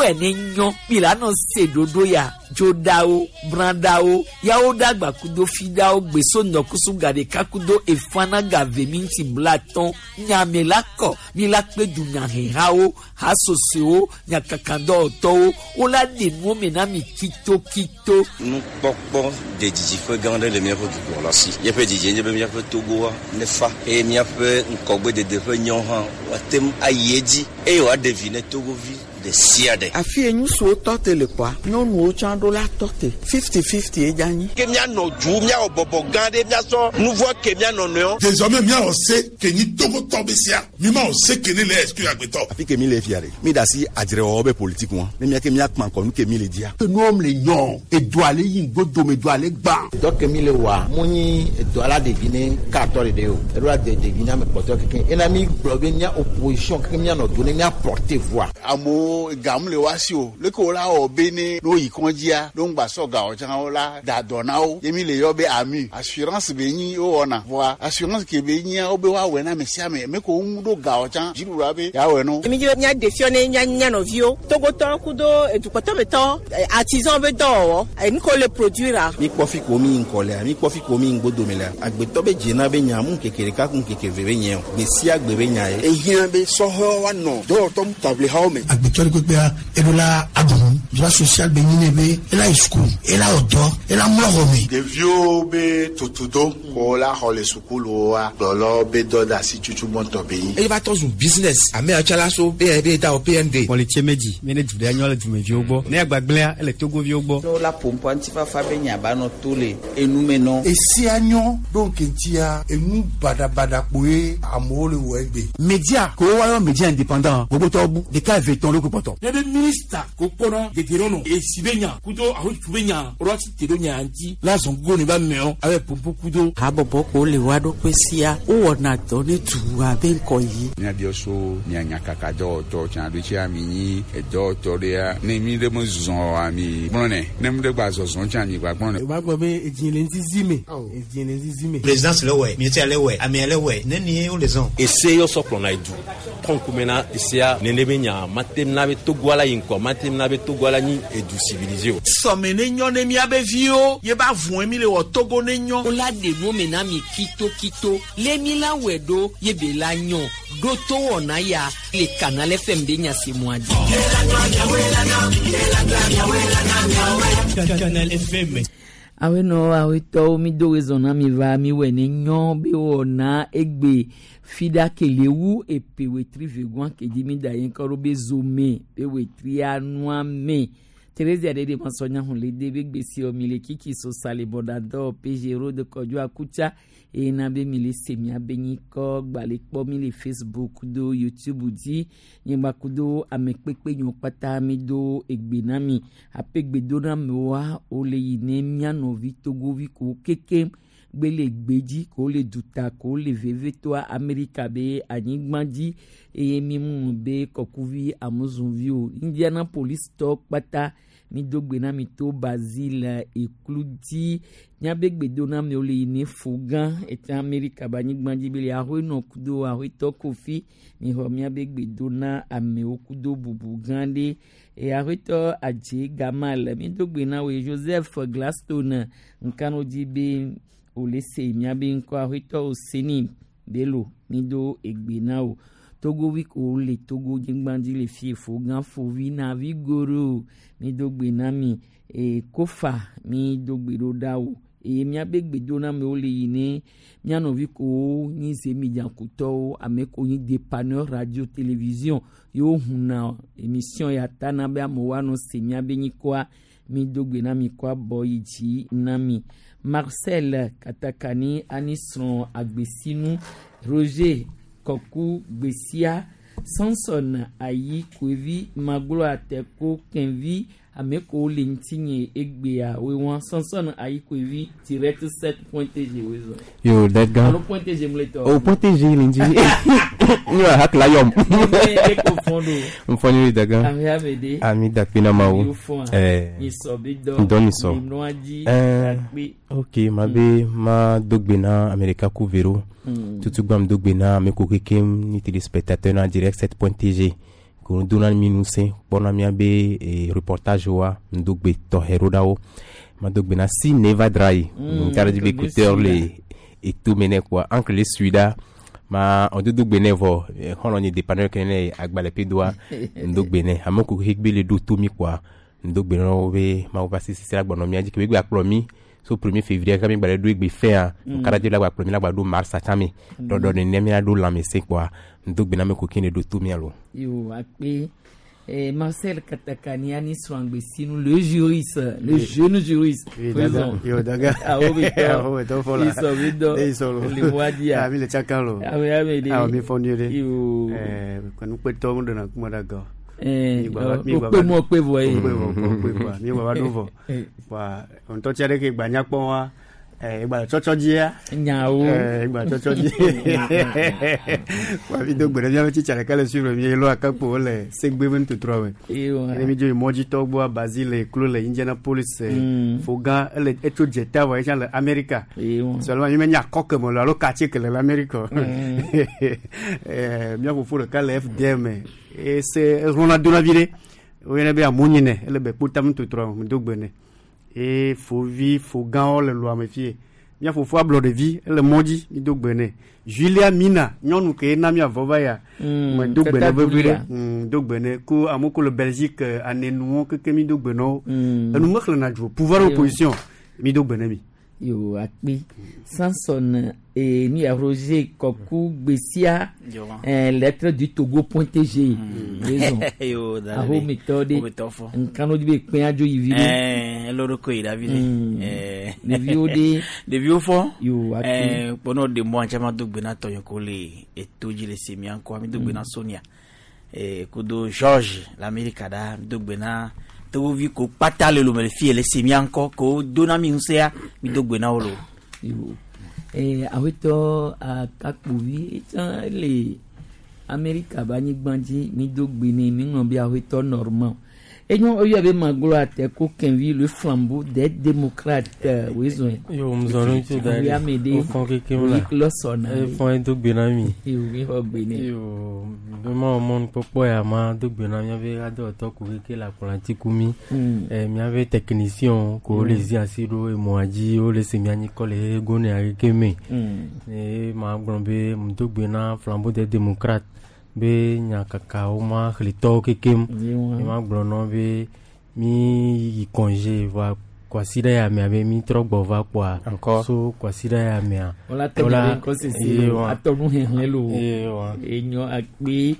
wɛ ne nyɔ mi la nɔ se ɖoɖo ya dzoɖawo brãɖawo yawo ɖagba kudo fiɖawo gbeso ŋdɔkusu gaɖeka kudo efana gave minti blatɔn nyame la kɔ mi la kpe dunyahehawo hasosoewo nyakakadɔwɔtɔwo wola ɖe nuwo me na mi kitokito. Nukpɔkpɔ de didiƒe gã aɖe le míaƒe dukplɔla si. Míaƒe didie nye be míaƒe Togoa nefa eye míaƒe ŋkɔgbedede ƒe nyɔ hã woate ŋu ayi edzi eye wòaɖe vi ne Togovi ɖe sia ɖe. Afi ye ŋutsuwo tɔ te le kpɔa, nyɔnuwo tsã ɖo la tɔ te. 50-50 ye dze anyi. Ke míanɔ du, míawɔ bɔbɔ gã ɖe, míasɔ nu vɔ̃ ke mía nɔnɔewo. Désormais míawɔ se ke nyi Togotɔ be sea, mímawɔ se ke ne le exclure agbetɔ. Afi ke mi le fia ɖe, mi ɖe asi adzrewɔwɔ be politique ŋua, ne mía ke míakpã ŋkɔ nu ke mi le dzia. Enuwo le nyɔ, edoa le yi ŋgodome, edoa le gbã. Dɔ ke mi le wɔa, mu nyi edoa la ɖevi ne katɔ ɖeɖe o, eɖo la de ɖevi ne ame kpɔtɔe kekeŋ. Ena mi gblɔ be mía opposition kekeŋ míanɔ do ne mía porter voix. Amewo gam le woa si o, leke wola wɔ be ne ne woyi kɔndzia, ne woŋgba sɔ ga o tsã wola da dɔ na wo. Ye mi le yɔ be AMU, assurance be nyi wowɔna. Vɔa assurance ke be nyia wobe woawɔe na ame sia ame, ame ke wo ŋu ɖo ga o tsã, dziɖuɖua be yeawɔe na wo. Mi dzi be míaɖe fiɔ ne mía mía nɔviwo, Togotɔwo kudo edukpɔtɔmetɔwo, artisan be dɔwɔwɔ, enu ke wole produire-a. Mi kpɔ fi ko mi yi ŋkɔ lea, mi kpɔ fi ko mi yi ŋgbodome lea, agbetɔ be dzena be nya mu ŋkeke ɖeka ku ŋkeke eve be nye o, gbe sia gbe be nya ye. Ehiã be sɔhɛwo woanɔ dɔwɔtɔ taʋlihawo me. Agbetɔ ɖe kpekpea, eɖo la aɖu nu. Droit social be nyi nɛ be ela yi sukulu, ela wɔ dɔ, ela mlɔ xɔ me. Ɖeviwo be tutudo ko la xɔ le sukuluwoa, kplɔlawo be dɔdeasi tutu gbɔntɔ be nyi. Eye va tɔ zu business. Ame ya tsã la so be be da wɔ PND. Kpɔlitse medzi mi ne du ɖe nyɔ le dumeviwo gbɔ. Ne agbagblẽa ele Togoviwo gbɔ. Ne wola ƒoƒoa ŋutifafa be nya ba nɔ to le enu me nɔ. Esia nyɔ ɖo ŋkeŋtia enu baɖabaɖa kpoe amewo le wɔ egbe. Media ko woayɔ media indépendant gbogbotɔwo bu ɖeka eve tɔn ɖo kpɔtɔ. Ne be minista ko kpɔnɔ dedienɔnɔ esi be nya kudo ahotu be nya woɖo asi te ɖo nya ŋuti la zɔn gogo ne ba mɛɔ abe pompo kudo. Habɔbɔ ko le woa ɖokui sia wowɔna dɔ ne dua be ŋkɔ yi. Míabiɔ so mia nyakaka dɔwɔtɔ tsã ɖo tsia mi nyi edɔwɔtɔ ɖea ne mi ɖe me zɔ oa mi gblɔ nɛ ne mi ɖe gba zɔzɔ tsã mi gba gblɔ nɛ. O b'a gbɔ be edzi le ŋzizi me. Edzi le ŋzizi me. Présidence le wɛ, ministère le wɛ, amea le wɛ, ne ni wo le zɔn. Ese yɔ sɔ kplɔna edu. Trɔn kume na esea nene be nya mate na be Togoa la yi ŋkɔ mate na be Togoa la nyi edu civilisé o. Sɔme ne nyɔ ne míabe viwo ye ba vɔe mi le wɔ Togo ne nyɔ. Wola ɖe nuwo me na mi kitokito le mi la wɔe ɖo ye be la nyɔ ɖo to wɔna ya le Canal FM be nya se mua dzi. Canal FM. Awenɔ awetɔwo mi do wezɔn na mi va mi wɔ ne nyɔ be wɔna egbe fiɖa kele wu epe wetri vegoa kedzi mi da yen kɔ ɖo be zome be wetria nua me. Theresia ɖe ɖe masɔ nya hun le de be gbesi mi le kiki so sale bɔdadɔ PG Road Kɔdzo Akutsa eye na be mi le se mia be nyikɔ gbalẽ kpɔ mi le Facebook do YouTube dzi nyigba kudo ame kpekpe nyiwo kpata mi do egbe na mi ape gbe do na amewoa wole yi ne mía nɔvi Togovi ko kekem gbe le gbedzi ko le duta ko le vevetoa Amerika be anyigba dzi eye mi mu be kɔkuvi amuzunvi o Indianapolis tɔ kpata mi do gbe na mi to Basile eklu dzi miabe gbedoname le yi ne fo gã ete Amerika be anyigba dzi be le ahoenɔ kudo ahoetɔ Kofi mi xɔ miabe gbedona amewo kudo bubu gã ɖe eye ahoetɔ Adze Gamal mi do gbe na woe Joseph Gladstone nkano dzi be wòle se miabe ŋkɔ ahoetɔ Oseni Belo mi do egbe na wo Togovi ko le Togo nyigba dzi le fie fo gã fovi na vi goro mi do gbe na mi e kofa mi do gbe ɖo ɖa wo eye miabe gbedoname le yi ne mía nɔvi kowo nyi zemidzakutɔwo ame ko nyi dépanneur radio télévision yewo huna émission ya tana be amewo anɔ se miabe nyikɔa mi do gbe na mi kɔ abɔ yi dzi na mi Marcel Katakani anisrɔ̃ agbesinu Roger Kɔku Gbesia Samson Ayi Koevi Maglo Ateko Kenvi ame kowo le ŋutinye egbea woe Samson Ayi Koevi direct 7 point tg woe zɔ. Yo, that guy. Alo point tg mu le tɔ. Oh, point tg le ŋuti. Nyo hak la yom. Ne ko fɔn do. Mfɔn yi daga. Ame ame de. Ami dakpe na ma wo. Yo fɔn a. Eh. Nisɔ bi dɔ. Dɔ nisɔ. Nimlɔa dzi. Eh. Akpe. Ok, ma be ma dogbe na Amerika ku vero. Tutu gbam dogbe na ame ko kekem ni téléspectateur na direct 7.tg. Ko dona mi ŋusẽ kpɔna míabe reportage wa ŋdogbe tɔxɛ ɖo ɖa wo. Madogbe na si neva dra yi. Nka ɖe dzi be écouteur le etome nɛ kpoa encre le sui ɖa ma ɔdodogbe nɛ vɔ xɔlɔ nye dépanneur ke ne agbalẽ ƒe doa ŋdogbe nɛ ame ko xexegbe le ɖo to mi kpoa ŋdogbe na wo be Mawu ƒe asi sisi la gbɔnɔ mía dzi ke be gba kplɔ mi so 1er février kaka mi gba le ɖo egbe fɛa nka ɖe dzi la gba kplɔ mi la gba ɖo mars tsã me ɖɔɖɔ nene mía ɖo lãmesẽ kpoa ŋdogbe na ame ko ke ne ɖo to mía lo. Yo, akpe. Marcel Katakaniani Swangbesinu, le juriste, le jeune juriste. Oui, daga. Yo, daga. Ah, oui, Ah, oui, to fola. Ils sont vido. Ils sont lo. Le mois Ah, mi le chaka lo. Ah, oui, ah, oui, Ah, mi fɔ nyuie ɖe. Yo. Kɔnu kpetɔ mu donna kuma da gan. O kpe mu, o kpe vɔ ye. O kpe vɔ, o kpe vɔ. Mi gba va ɖo vɔ. Wa ŋutɔ tsia ɖe ke gba nyakpɔ wa. Egba tsɔtsɔ dzia. Nyawo. Egba tsɔtsɔ dzi. Wa mi do gbe ɖe miaƒe tsitsa ɖeka le suivre mi elo akakpo le segbe be nutotroa me. Ewa. Ne mi dzo yi mɔdzitɔ gbɔa Basile klo le Indianapolis. Fogan ele etso dzeta vɔ etsã le Amerika. Ewa. Seulement mi menya akɔ ke me lo alo quartier ke le le Amerika. Mía fofo ɖeka le FDM ese exlɔna dona vi ɖe. Woyɔnɛ be amunyinɛ ele be kpotam nutotroa me do gbe nɛ. Eye fovi fogãwo le lɔa me fie. Mía fofo ablɔ ɖevi ele mɔ dzi mi do gbe nɛ. Julia Mina nyɔnu ke na mía vɔ va ya. Me do gbe nɛ Tata vevi ɖe. Julia. Do gbe nɛ ko amewo ko le Belgique anenuwo keke mi do gbe na wo. Enu mexlẽna dzro pouvoir Yo. opposition mi do gbe nɛ mi. Yo, akpe. Samson ni ya Roger Koku Gbessia, Yo. Lettre du Togo point TG. Raison. Yo, da Aho ɖe. mi tɔ de. Wo mi tɔ fɔ. Nkano di be kpe adzo yi vi ɖe. Elo ɖo koyi ɖavi ɖe. Ɖeviwo ɖe. Ɖeviwo fɔ. Yo, akpe. Kpɔnɔ ɖe mɔ antsa ma do gbe na tɔnyɔ ko le eto dzi le semia ŋkɔ mi do gbe na Sonia. Kudo George l'Amerika ɖa mi do gbe na togovi ko kpata le lome le fie le semia ŋkɔ ko do na mi ŋusẽa mi do gbe na wo lo. Yo. Awetɔ akakpovi etsã le Amerika be anyigba dzi mi do gbe nɛ mi ŋlɔ be awetɔ Normand. Enyo oyɔ be maglo ate ko kɛnvi le flambeau des démocrates wezɔn. Yo, mzɔnu tso da Awi ame ɖe. Wofɔ kekem la. Oyi lɔsɔna. Efɔ edo gbe na mi. Yo, mi xɔ gbe nɛ. Yo, be ma wɔ mɔnukpɔkpɔ ya ma do gbe na míaƒe adɔwɔtɔ ko keke le akplɔ̃ ku mi. Míaƒe technicien ko wole zi asi ɖo emɔa dzi wole se mía nyikɔ le gonea keke me. Eye ma gblɔ be mdo gbe na flambeau des démocrates be nyakakawo ma xlitɔwo kekem. Yewa. Ye ma gblɔ nɔ be mi yi congé va kwasiɖa ya mea be mi trɔ gbɔ va kpoa. Encore. So kwasiɖa ya mea. Wola tɔ mi be ŋkɔ sese lo atɔ nu hehlẽ lo. Yewa. Enyo akpe.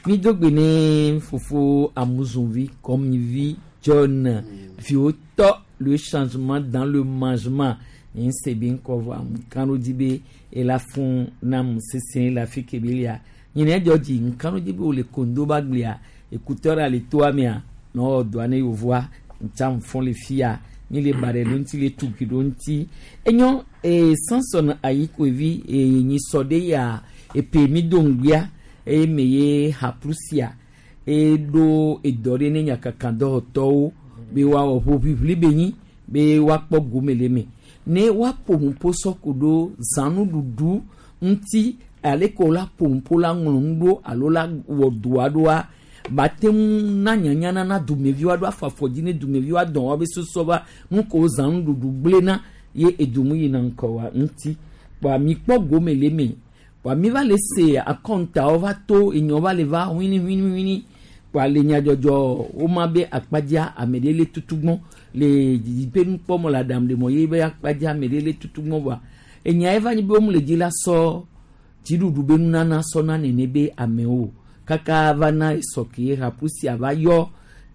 Mi do gbe ne fofo Amuzunvi Kɔmivi John viwo tɔ le changement dans le mangement. N se be ŋkɔ vɔ amu kanu dzi be ela fún nam sese le afi ke be lia. Nyina dzɔ dzi nkanu dzi be wòle kondo ba gblia écouteur le toa mea nɔ dɔa ne yevoa ntsa fɔn le fia mi le ba ɖe ɖo ŋuti le tukui ɖo ŋuti enyo Samson Ayikovi nyisɔ ɖe ya epe mi do ŋgbea eye me ye haplusia eɖo edɔ ɖe ne nyakakadɔwɔtɔwo be woawɔ ʋoʋiʋli be nyi be woakpɔ gome le eme ne woaƒo nuƒo sɔku ɖo zãnuɖuɖu ŋuti ale ke wola ƒo nuƒo la ŋlɔ nu ɖo alo la wɔ doa ɖoa bate ŋu na nyanyana na dumeviwo aɖo afɔ afɔdzi ne dumeviwo adɔn woabe susɔ va nu ko zãnuɖuɖu gblẽna ye edumu yina ŋkɔ wa ŋuti kpoa mi kpɔ gome le eme kpoa mi va le se akɔntawo va to enyɔ va le va wini wini wini kpoa le nyadzɔdzɔ woma be akpadzia ame ɖe le tutugbɔn le dzidziƒe nukpɔmɔ le aɖaŋu ɖe mɔ ye be akpadzia ame ɖe le tutugbɔn voa enya ye va nyi be wo le dzi la sɔ dziɖuɖu be nunana sɔna nene be amewo kaka va na esɔke ye hapusia va yɔ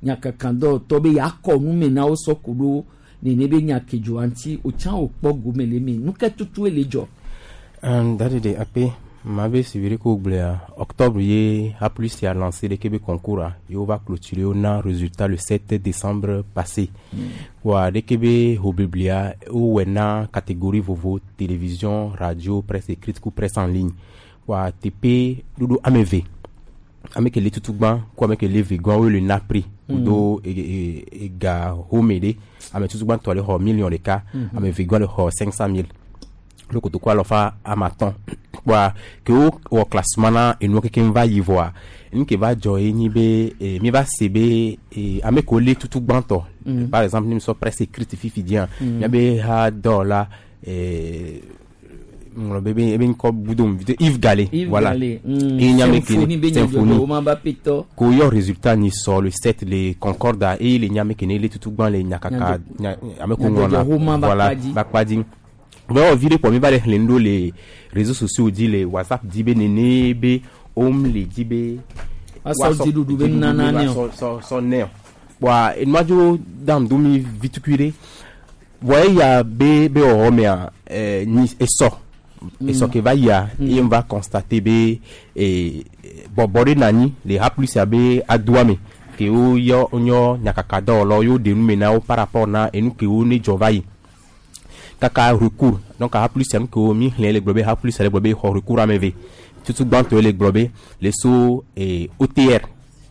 nyakakadɔwɔtɔ be yakɔ nume na wo sɔ ko ɖo nene be nyakedzɔa ŋuti wotsã wokpɔ gome le eme nu ke tutue le dzɔ. Dadi de akpe ma be siviri ko gblɔa octobre ye A plus a lancé ɖeke be concours a ye wova clôturer wo na résultat le 7 décembre passé. Wa ɖeke be hobiblia wowɔe na catégorie vovo télévision, radio, presse écrite ku presse en ligne. Wa teƒe ɖoɖo ame eve ame ke le tutugbã ku ame ke le vegã wo le na prix kudo ega home ɖe ame tutugbãtɔ le xɔ million ɖeka. Ame vegã le xɔ 500 000. Ɖo kotoku alɔfa ame atɔ̃. Kpoa ke wo wɔ classement na enuwo kekeŋ va yi vɔa, nu ke va dzɔ ye nyi be mi va se be ame kewo lé tutu gbãtɔ. Par exemple, ne mi sɔ presse écrite fifi dzia, miabe ha dɔwɔla ŋlɔ be ebe ŋkɔ bu do ŋu Yves Galé. Yves voilà. Galé. Ye nye ame ke Symphonie be Symphonie. nyadzɔdzɔwo ma ba petɔ. Ko yɔ résultat ni sɔ le 7 le Concorde eye le nye ame ke ne le tutu gbã le nyakaka nya ame ko ŋlɔna Nyadzɔdzɔwo ma ba voilà kpa dzi. ba kpa dzi. Vɔ vi ɖe kpɔ mi va le xlẽ nu ɖo le réseaux sociaux dzi le WhatsApp dzi be nene be wom le dzi be Woasɔ dziɖuɖu be nunana nɛ o. sɔ sɔ sɔ nɛ o. Kpoa enua dzo dam do mi vi tukui ɖe. Vɔ eya be be wɔwɔ mea nyi esɔ esɔ ke va yia ye va constater be bɔbɔ ɖe nɔ anyi le ha plus ya be adoa me ke wo yɔ wonyɔ nyakaka dɔwɔlawo ye woɖe nu me na wo par rapport na enu kewo ne dzɔ va yi kaka recours donc ha plus ya nu kewo mi xlẽ le gblɔ be ha plus le gblɔ be xɔ recours ame eve tutu gbãtɔe le gblɔ be le so OTR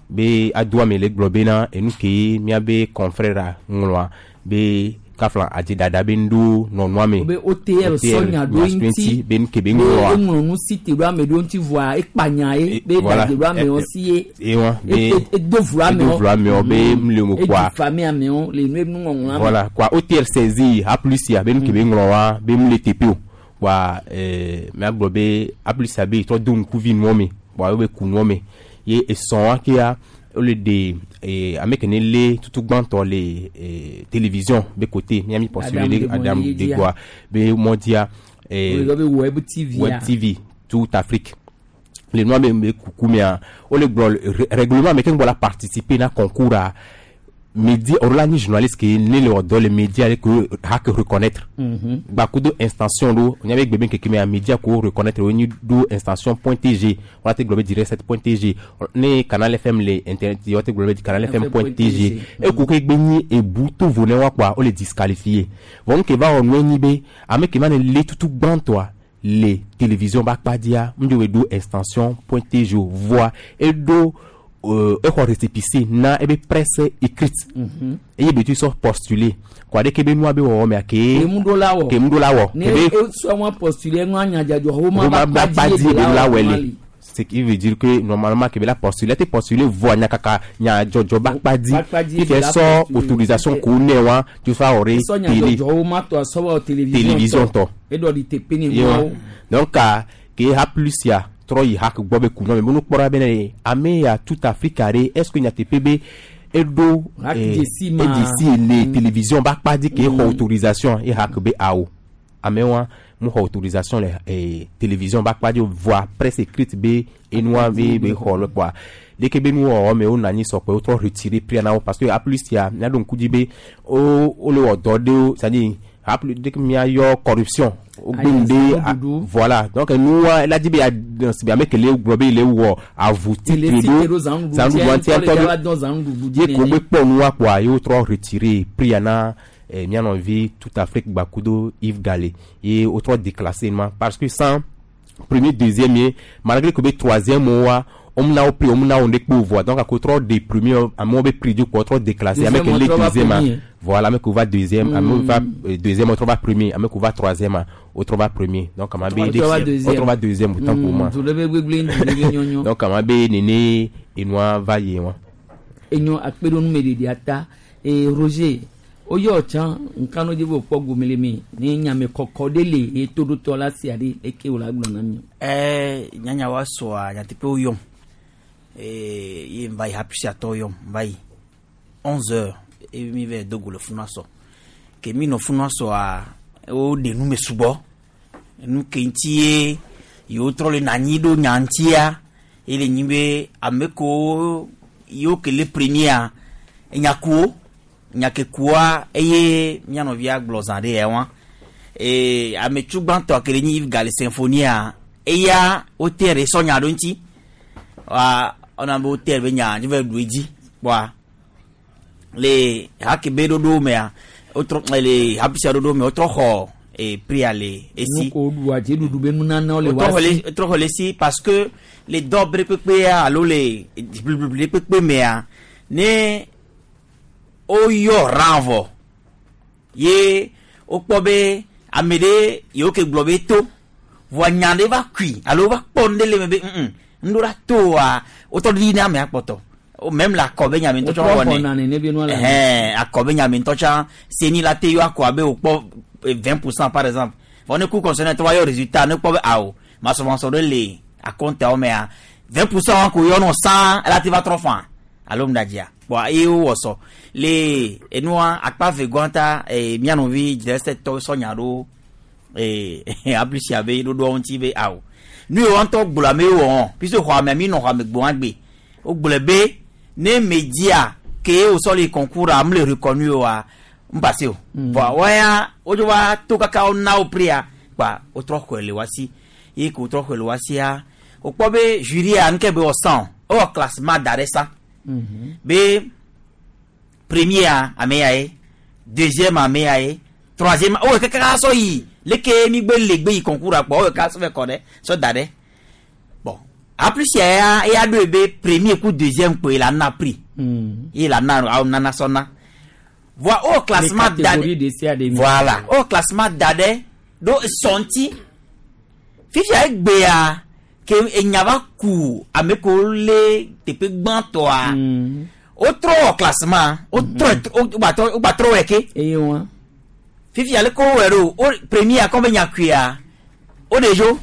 be adoa me le gblɔ bena enu ke miabe confrère ŋlɔa be kafla adzidada be nuɖewo nɔ nua me Be OTR sɔ nya ɖo eŋuti be nu ke be be ŋlɔa eŋlɔ nu si te ɖo ame ɖewo ŋuti vɔa ekpa nya ye be voilà. ɖadze ɖo amewo si ye ye wa be edo vlo amewo edo vlo amewo be mle mo kpoa edzi fami amewo le nu nuŋɔŋlɔ ame. voilà quoi OTR saisi A plus ya be nu ke be ŋlɔ wa be mle teƒe o kpoa miagblɔ be A plus ya be trɔ do ŋkuvi nua me kpoa wo be ku nua me ye esɔ̃ wa kea wole ɖe ame ke ne lé tutu gbãtɔ le télévision be côté miami postulé Adam ɖe Degbɔ Adam ye dzia. Degboa be mɔdia Woyɔ be web TV web ya. TV toute Afrique le nua be be kuku mea wole gblɔ règlement me ke ŋgbɔ la participer na concours a média orola nyi journaliste ke ne le wɔ dɔ le média le ke ha ke reconnaître gbakudo extension ɖo nya be gbe be keke mea média ko reconnaître wo nyi ɖo extension point tg wala te gblɔ be direct 7 point tg ne canal fm le internet dzi, wala te gblɔ be canal fm point tg eko ke gbe nyi ebu to vo ne wa kpoa wole disqualifié vɔ nu ke va wɔ nue nyi be ame ke va ne le tutu gbãtɔa le télévision ba kpa dzia ŋdzo be ɖo extension point tg o voa eɖo exɔ récépissé na ebe presse écrite eye be tu sɔ postuler kɔ aɖeke be nua be wɔwɔ mea ke Ke ŋu ɖo la wɔ. ke ŋu ɖo la wɔ Ne ke be esɔ wọn postulé ŋu anyadzadzɔ wo ma Roma ba ba kpa kpa dzi dzi ye be be la la wɔ wɔ ma le li. ce qui veut dire que normalement ke be la postuler te postuler voa nya kaka nya dzɔdzɔ ba kpa dzi Ba kpa dzi fifia be la sɔ postuler. autorisation ko ne wa tu fa wɔ Esɔ ɖe télé nyadzɔdzɔ wo ma tɔ asɔ wɔ télévision télévision tɔ Eɖɔ ɖi teƒe ne Ye wa. ŋuawo. donc ka ke ha plus ya trɔ yi ha ke gbɔ be ku nɔ me be nukpɔra be ne ame ya toute Afrique ɖe est ce que nyateƒe be eɖo Hack dzesi ma. edzesi le télévision ba kpa dzi ke xɔ autorisation ye ha ke be awo ame wa mu xɔ autorisation le télévision ba kpa dzi o voa presse écrite be enua be be xɔ le kpoa leke be nuwɔwɔ me wonɔ anyi sɔkpe wotrɔ retirer prix na wo parce que A plus ya miaɖo ŋku dzi be wo wole wɔ dɔ ɖewo c'est à dire A plus dès que miayɔ corruption wogbe nu ɖe voilà donc nua ela dzi be ya si ame ke le gblɔ be le wɔ avu Ele titre si ɖo te ɖo zãnuɖuɖu zãnuɖuɖu ŋutia, ŋutia ŋutɔ le ŋutɔ dza va dɔn zãnuɖuɖu dzi ye ko nene. gbe kpɔ nua kpoa ye wotrɔ retirer prix ya na mía nɔvi toute Afrique gbakudo Yves Galé ye wotrɔ déclassé ma parce que sans premier deuxième ye malgré que be troisième wa omna wo prix omna wo ɖekpe o voa donc ako trɔ de premier amewo be prix dzi kpo trɔ déclassé ame ke Deuxième, le wotrɔ va deuxième a premier. voilà ame ke va deuxième ame va deuxième wotrɔ va premier ame ke va troisième a wotrɔ va premier donc ama be Wotrɔ va deuxième. wotrɔ va deuxième autant pour moi Du ɖe be gbegble ŋu ɖe be nyɔnyɔ. donc ama be nene enua va yi wa. Enyo akpe ɖo numeɖeɖia ta ee Roger woyɔ tsã nkanu dzi be wòkpɔ gome le me ne nyame kɔkɔ ɖe le ye toɖotɔ la sia ɖe eke wòle agblɔ na mi. Nyanya wa sɔa nyateƒe wo yɔm ye n va yi happy atɔ yɔm n va yi 11 heures eye mi va do go le funua sɔ ke mi nɔ funua sɔa wo ɖe nu me sugbɔ nu ke ŋuti ye yewo trɔ le nanyi ɖo nya ŋutia ye le nyi be ame kewo yewo ke le premia enyakuwo nyakekua eye mía nɔvia gblɔ zã ɖe ya wa ame tsu gbãtɔ ke le nyi Yves Gale Symphonia eya wote ɖe sɔ nya ɖo ŋuti wa ɔna be wote be nya dzi va ɖu edzi kpɔa le hakebe ɖoɖo mea wotrɔ le hapisia ɖoɖo me wotrɔ xɔ prix le esi Nu ko ɖu adzeɖuɖu be nunanawo le wotrɔ wa xɔ le si. wotrɔ xɔ le si parce que le dɔ bre kpekpea alo le bliblibli kpekpe mea ne woyɔ rã vɔ ye wokpɔ be Ame ɖe yiwo ke gblɔ be to vɔa nya ɖe va kui alo va kpɔ nu ɖe le me be ŋ ɖo la to wa wotɔ ɖi ne amea kpɔtɔ. O même la akɔ be nya me ŋutɔ tsã Wotrɔ wɔnɛ. xɔna nene be nua le ame. Ɛhɛn, akɔ be nya me ŋutɔ tsã seni la te yɔ akɔ abe wòkpɔ 20% par exemple. Vɔ ne ku concerné tɔ va yɔ résultat ne kpɔ be awo masɔmasɔ ɖe le akɔntawo mea 20% ko yɔ nɔ sã ela te va trɔ fã alo ŋdadzia kpɔa eye wowɔ sɔ le enua akpa ve gɔn ta mía nɔvi dzesɛtɔ sɔ nya ɖo aplus abe ɖoɖoa ŋuti be awo nu yi wɔntɔ gblɔ ame wɔ puisque xɔ ame mi nɔ xɔ ame gbɔn agbe wogblɔ be ne media ke wosɔ le concours a mle reconnu oa m passe o vɔa wɔya wodzo va to kaka wona wo prix kpa wotrɔ xɔe le wasi ye ke wotrɔ xɔe le wasia wokpɔ be jury a nuke be wɔ san o ewɔ classement da ɖe sa be premier a ame ya ye, deuxième ame ya ye, troisième o kaka sɔ yi leke mi gbe le gbe yi concours a kpɔ o ka sɔ fɛ kɔ ɖe sɔ da ɖe. Bon, en plus ya ya ɖo be premier ku deuxième kpoe la na prix ye la na awo nana sɔ na voa o classement Les da catégories de sia de mi. Voilà, o classement da ɖe ɖo sɔnti fifia egbea ke enya va ku ame kewo lé teƒe gbãtɔa wotrɔ wɔ classement wotrɔ wogbatrɔ wogbatrɔ wɔe ke eye wa fifia leke wowɔe ɖo o premier kɔ be nyakuia o de dzo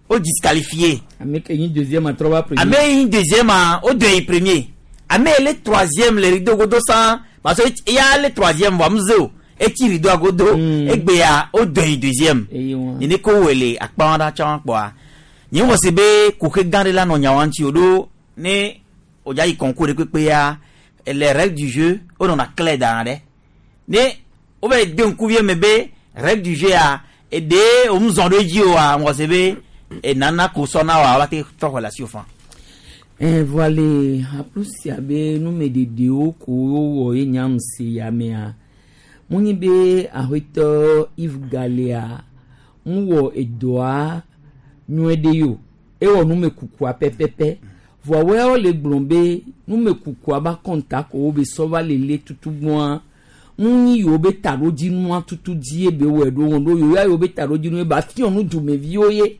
o disqualifié. Ame ke nyi deuxième atrɔ va premier. Ame yi deuxième a o do yi premier, ame yi le troisième le rideau godo san parce que eya le troisième vɔ amuze o etsi rideau godo egbea o do yi deuxième. Eye wa nene ko wɔ le akpa ɖa tsã kpɔa nye wɔ se be kuxe gã ɖe la nɔ nyawa ŋuti o ɖo ne o dza yi concours ɖe kpekpea les règles du jeu o nɔna clair dan ɖe ne wo va yi de ŋkuvie me be règle du jeu a eɖe o mu zɔn ɖo edzi oa wɔ se be enana ko sɔ na wa wa te trɔ xɔ le asi o fan. Vɔa le aplusia be numeɖeɖewo ko wowɔ ye nyam se ya mea munyi be aƒetɔ Yves Galea ŋwɔ edɔa nyuie ɖe yo ewɔ numekukua pɛpɛpɛ vɔa woyawo le gblɔ be numekukua ba kɔnta ko wo be sɔ va lele tutugbɔa ŋunyi yiwo be taɖodzinua tutu dzie be wɔe ɖo wɔn ɖo yiwo ya yiwo be taɖodzinu ye ba fiɔ nu dumeviwo ye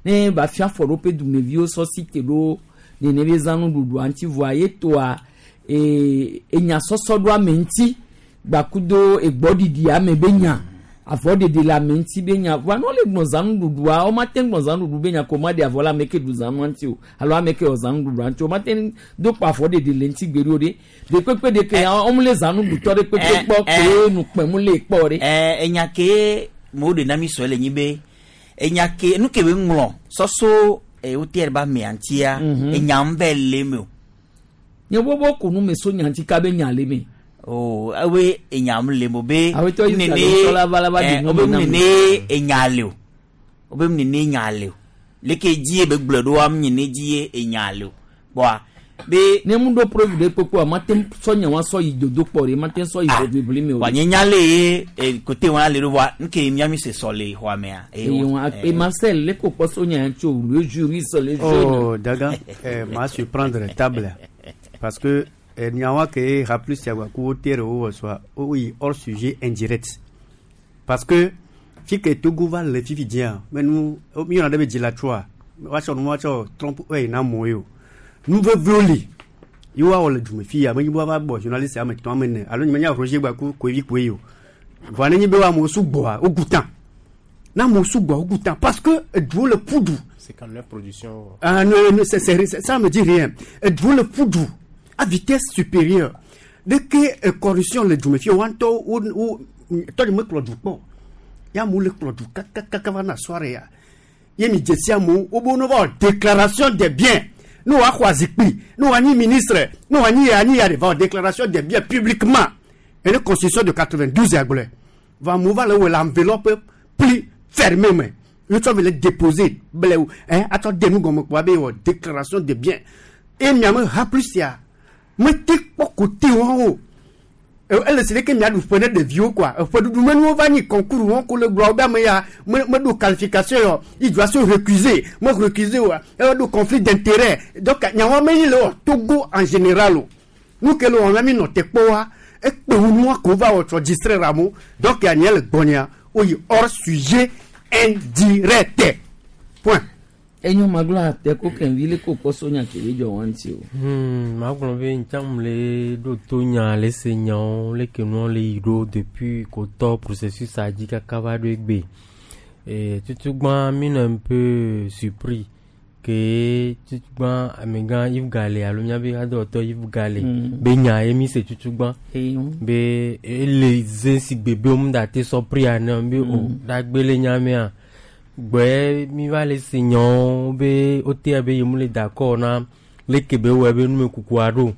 ne ba fia afɔɖoƒe dumeviwo sɔ si te ɖo nene be zã nuɖuɖua ŋuti vɔa ye toa enya sɔsɔ ɖo ame ŋuti gbakudo egbɔɖiɖi ame be nya avɔɖeɖe le ame ŋuti be nya vɔa ne wole gblɔ zã nuɖuɖua womate ŋu gblɔ zã nuɖuɖu be nya ko ma ɖe avɔ le ame ke ɖu zãnua ŋuti o alo ame ke wɔ zã nuɖuɖua ŋuti o womate ŋu do kpɔ avɔɖeɖe le ŋuti gbeɖe o ɖe de kpekpe de ke wɔm le zã nuɖutɔ ɖe kpekpe kpɔ ke nukpɛmu le kpɔ ɖe. Enya ke mo ɖe na mi sɔ le nyi be enya ke nu ke be ŋlɔ sɔsɔ wote ba mea ŋutia enya ŋu vɛ le me o. Nye bɔbɔ ko nu me so nya ŋuti ka be nya le me. O ewe enya ŋu le mo be Awetɔ yi nene sa la va la va di nu wobe me na mi. nene enya le o wobe nene enya le o leke dzi be gblɔ ɖo am nene dzi enya le o kpɔa be. Ne mu ɖo preuve ɖe kpekpe wa mate ŋu sɔ nya wa sɔ yi dodokpɔ ɖe mate ŋu sɔ yi ʋiʋli me o. Wa nye nya le ye kote wa le ɖo vɔa nke miami se sɔ le xɔa mea. Eye wa et Marcel le ko kpɔ so nya tso le juriste le jeune. Oh, Daga, ma surprendre table. Parce que, nyawa ke rappelé si agba ku tere wo soit oui hors sujet indirect. Parce que fi ke Togo va le fifi dia, mais nous mi on a de la trois. Wa cho nous wa cho trompe ouais na mo yo. Nous veut violer. Yo wa le djume fi ya, mais yo va bo journaliste ya me to amene. Alo ni nya Roger gba ku ko vi ko yo. Voilà ni be wa mo su gbo o gutan. Na mo su gbo o gutan parce que dou le poudou. 59 productions. Ah non, non, ça me dit rien. Dou le poudou à vitesse supérieure. Dès que corruption le djoume fi wanto ou to me klo du po. Ya mu le klo du kaka va na soirée ya. Ye mi djesia mu o bo no va déclaration des biens. Nous wa khwazikpi, nous wa ni ministre, nous wa ni ya ni ya va déclaration des biens publiquement. Et la constitution de 92 ya glé. Va mu va le l'enveloppe plus fermée mais le tu le déposer blé hein attends de nous comme quoi be déclaration des biens. Et mi am ha plus ya. Mettez pas côté en haut. Elle c'est que mi a du fenêtre de vieux quoi. Faut du nous va ni concours on ko le gloire ba me ya me do qualification yo. Il doit se recuser. Moi recuser ouais. Elle do conflit d'intérêt. Donc nya wa me le Togo en général. Nous que le on a mis notre poa et que nous ko va autre distraire ramo. Donc ya le bonia. Woyi hors sujet indirect. Point. Enyo maglo ate ko kenvi le ko kpɔ so nya ke be dzɔ wɔn ŋuti o. Magblɔ be ntsam le ɖo to nya le se nyawo leke nua le yi ɖo depuis kotɔ processus a dzi kaka va ɖo egbe. Tutugbã mi nɔ un peu surpris ke tutugbã amegã Yves Gale alo míabe hadɔwɔtɔ Yves Gale be nya ye mi se tutugbã be ele ze si gbe be womu da te sɔ prix ene be o ɖagbe le nya mea gbɔe mi va le se nyawo be wotea be yemu le d'accord na leke be wɔe be numekukua ɖo.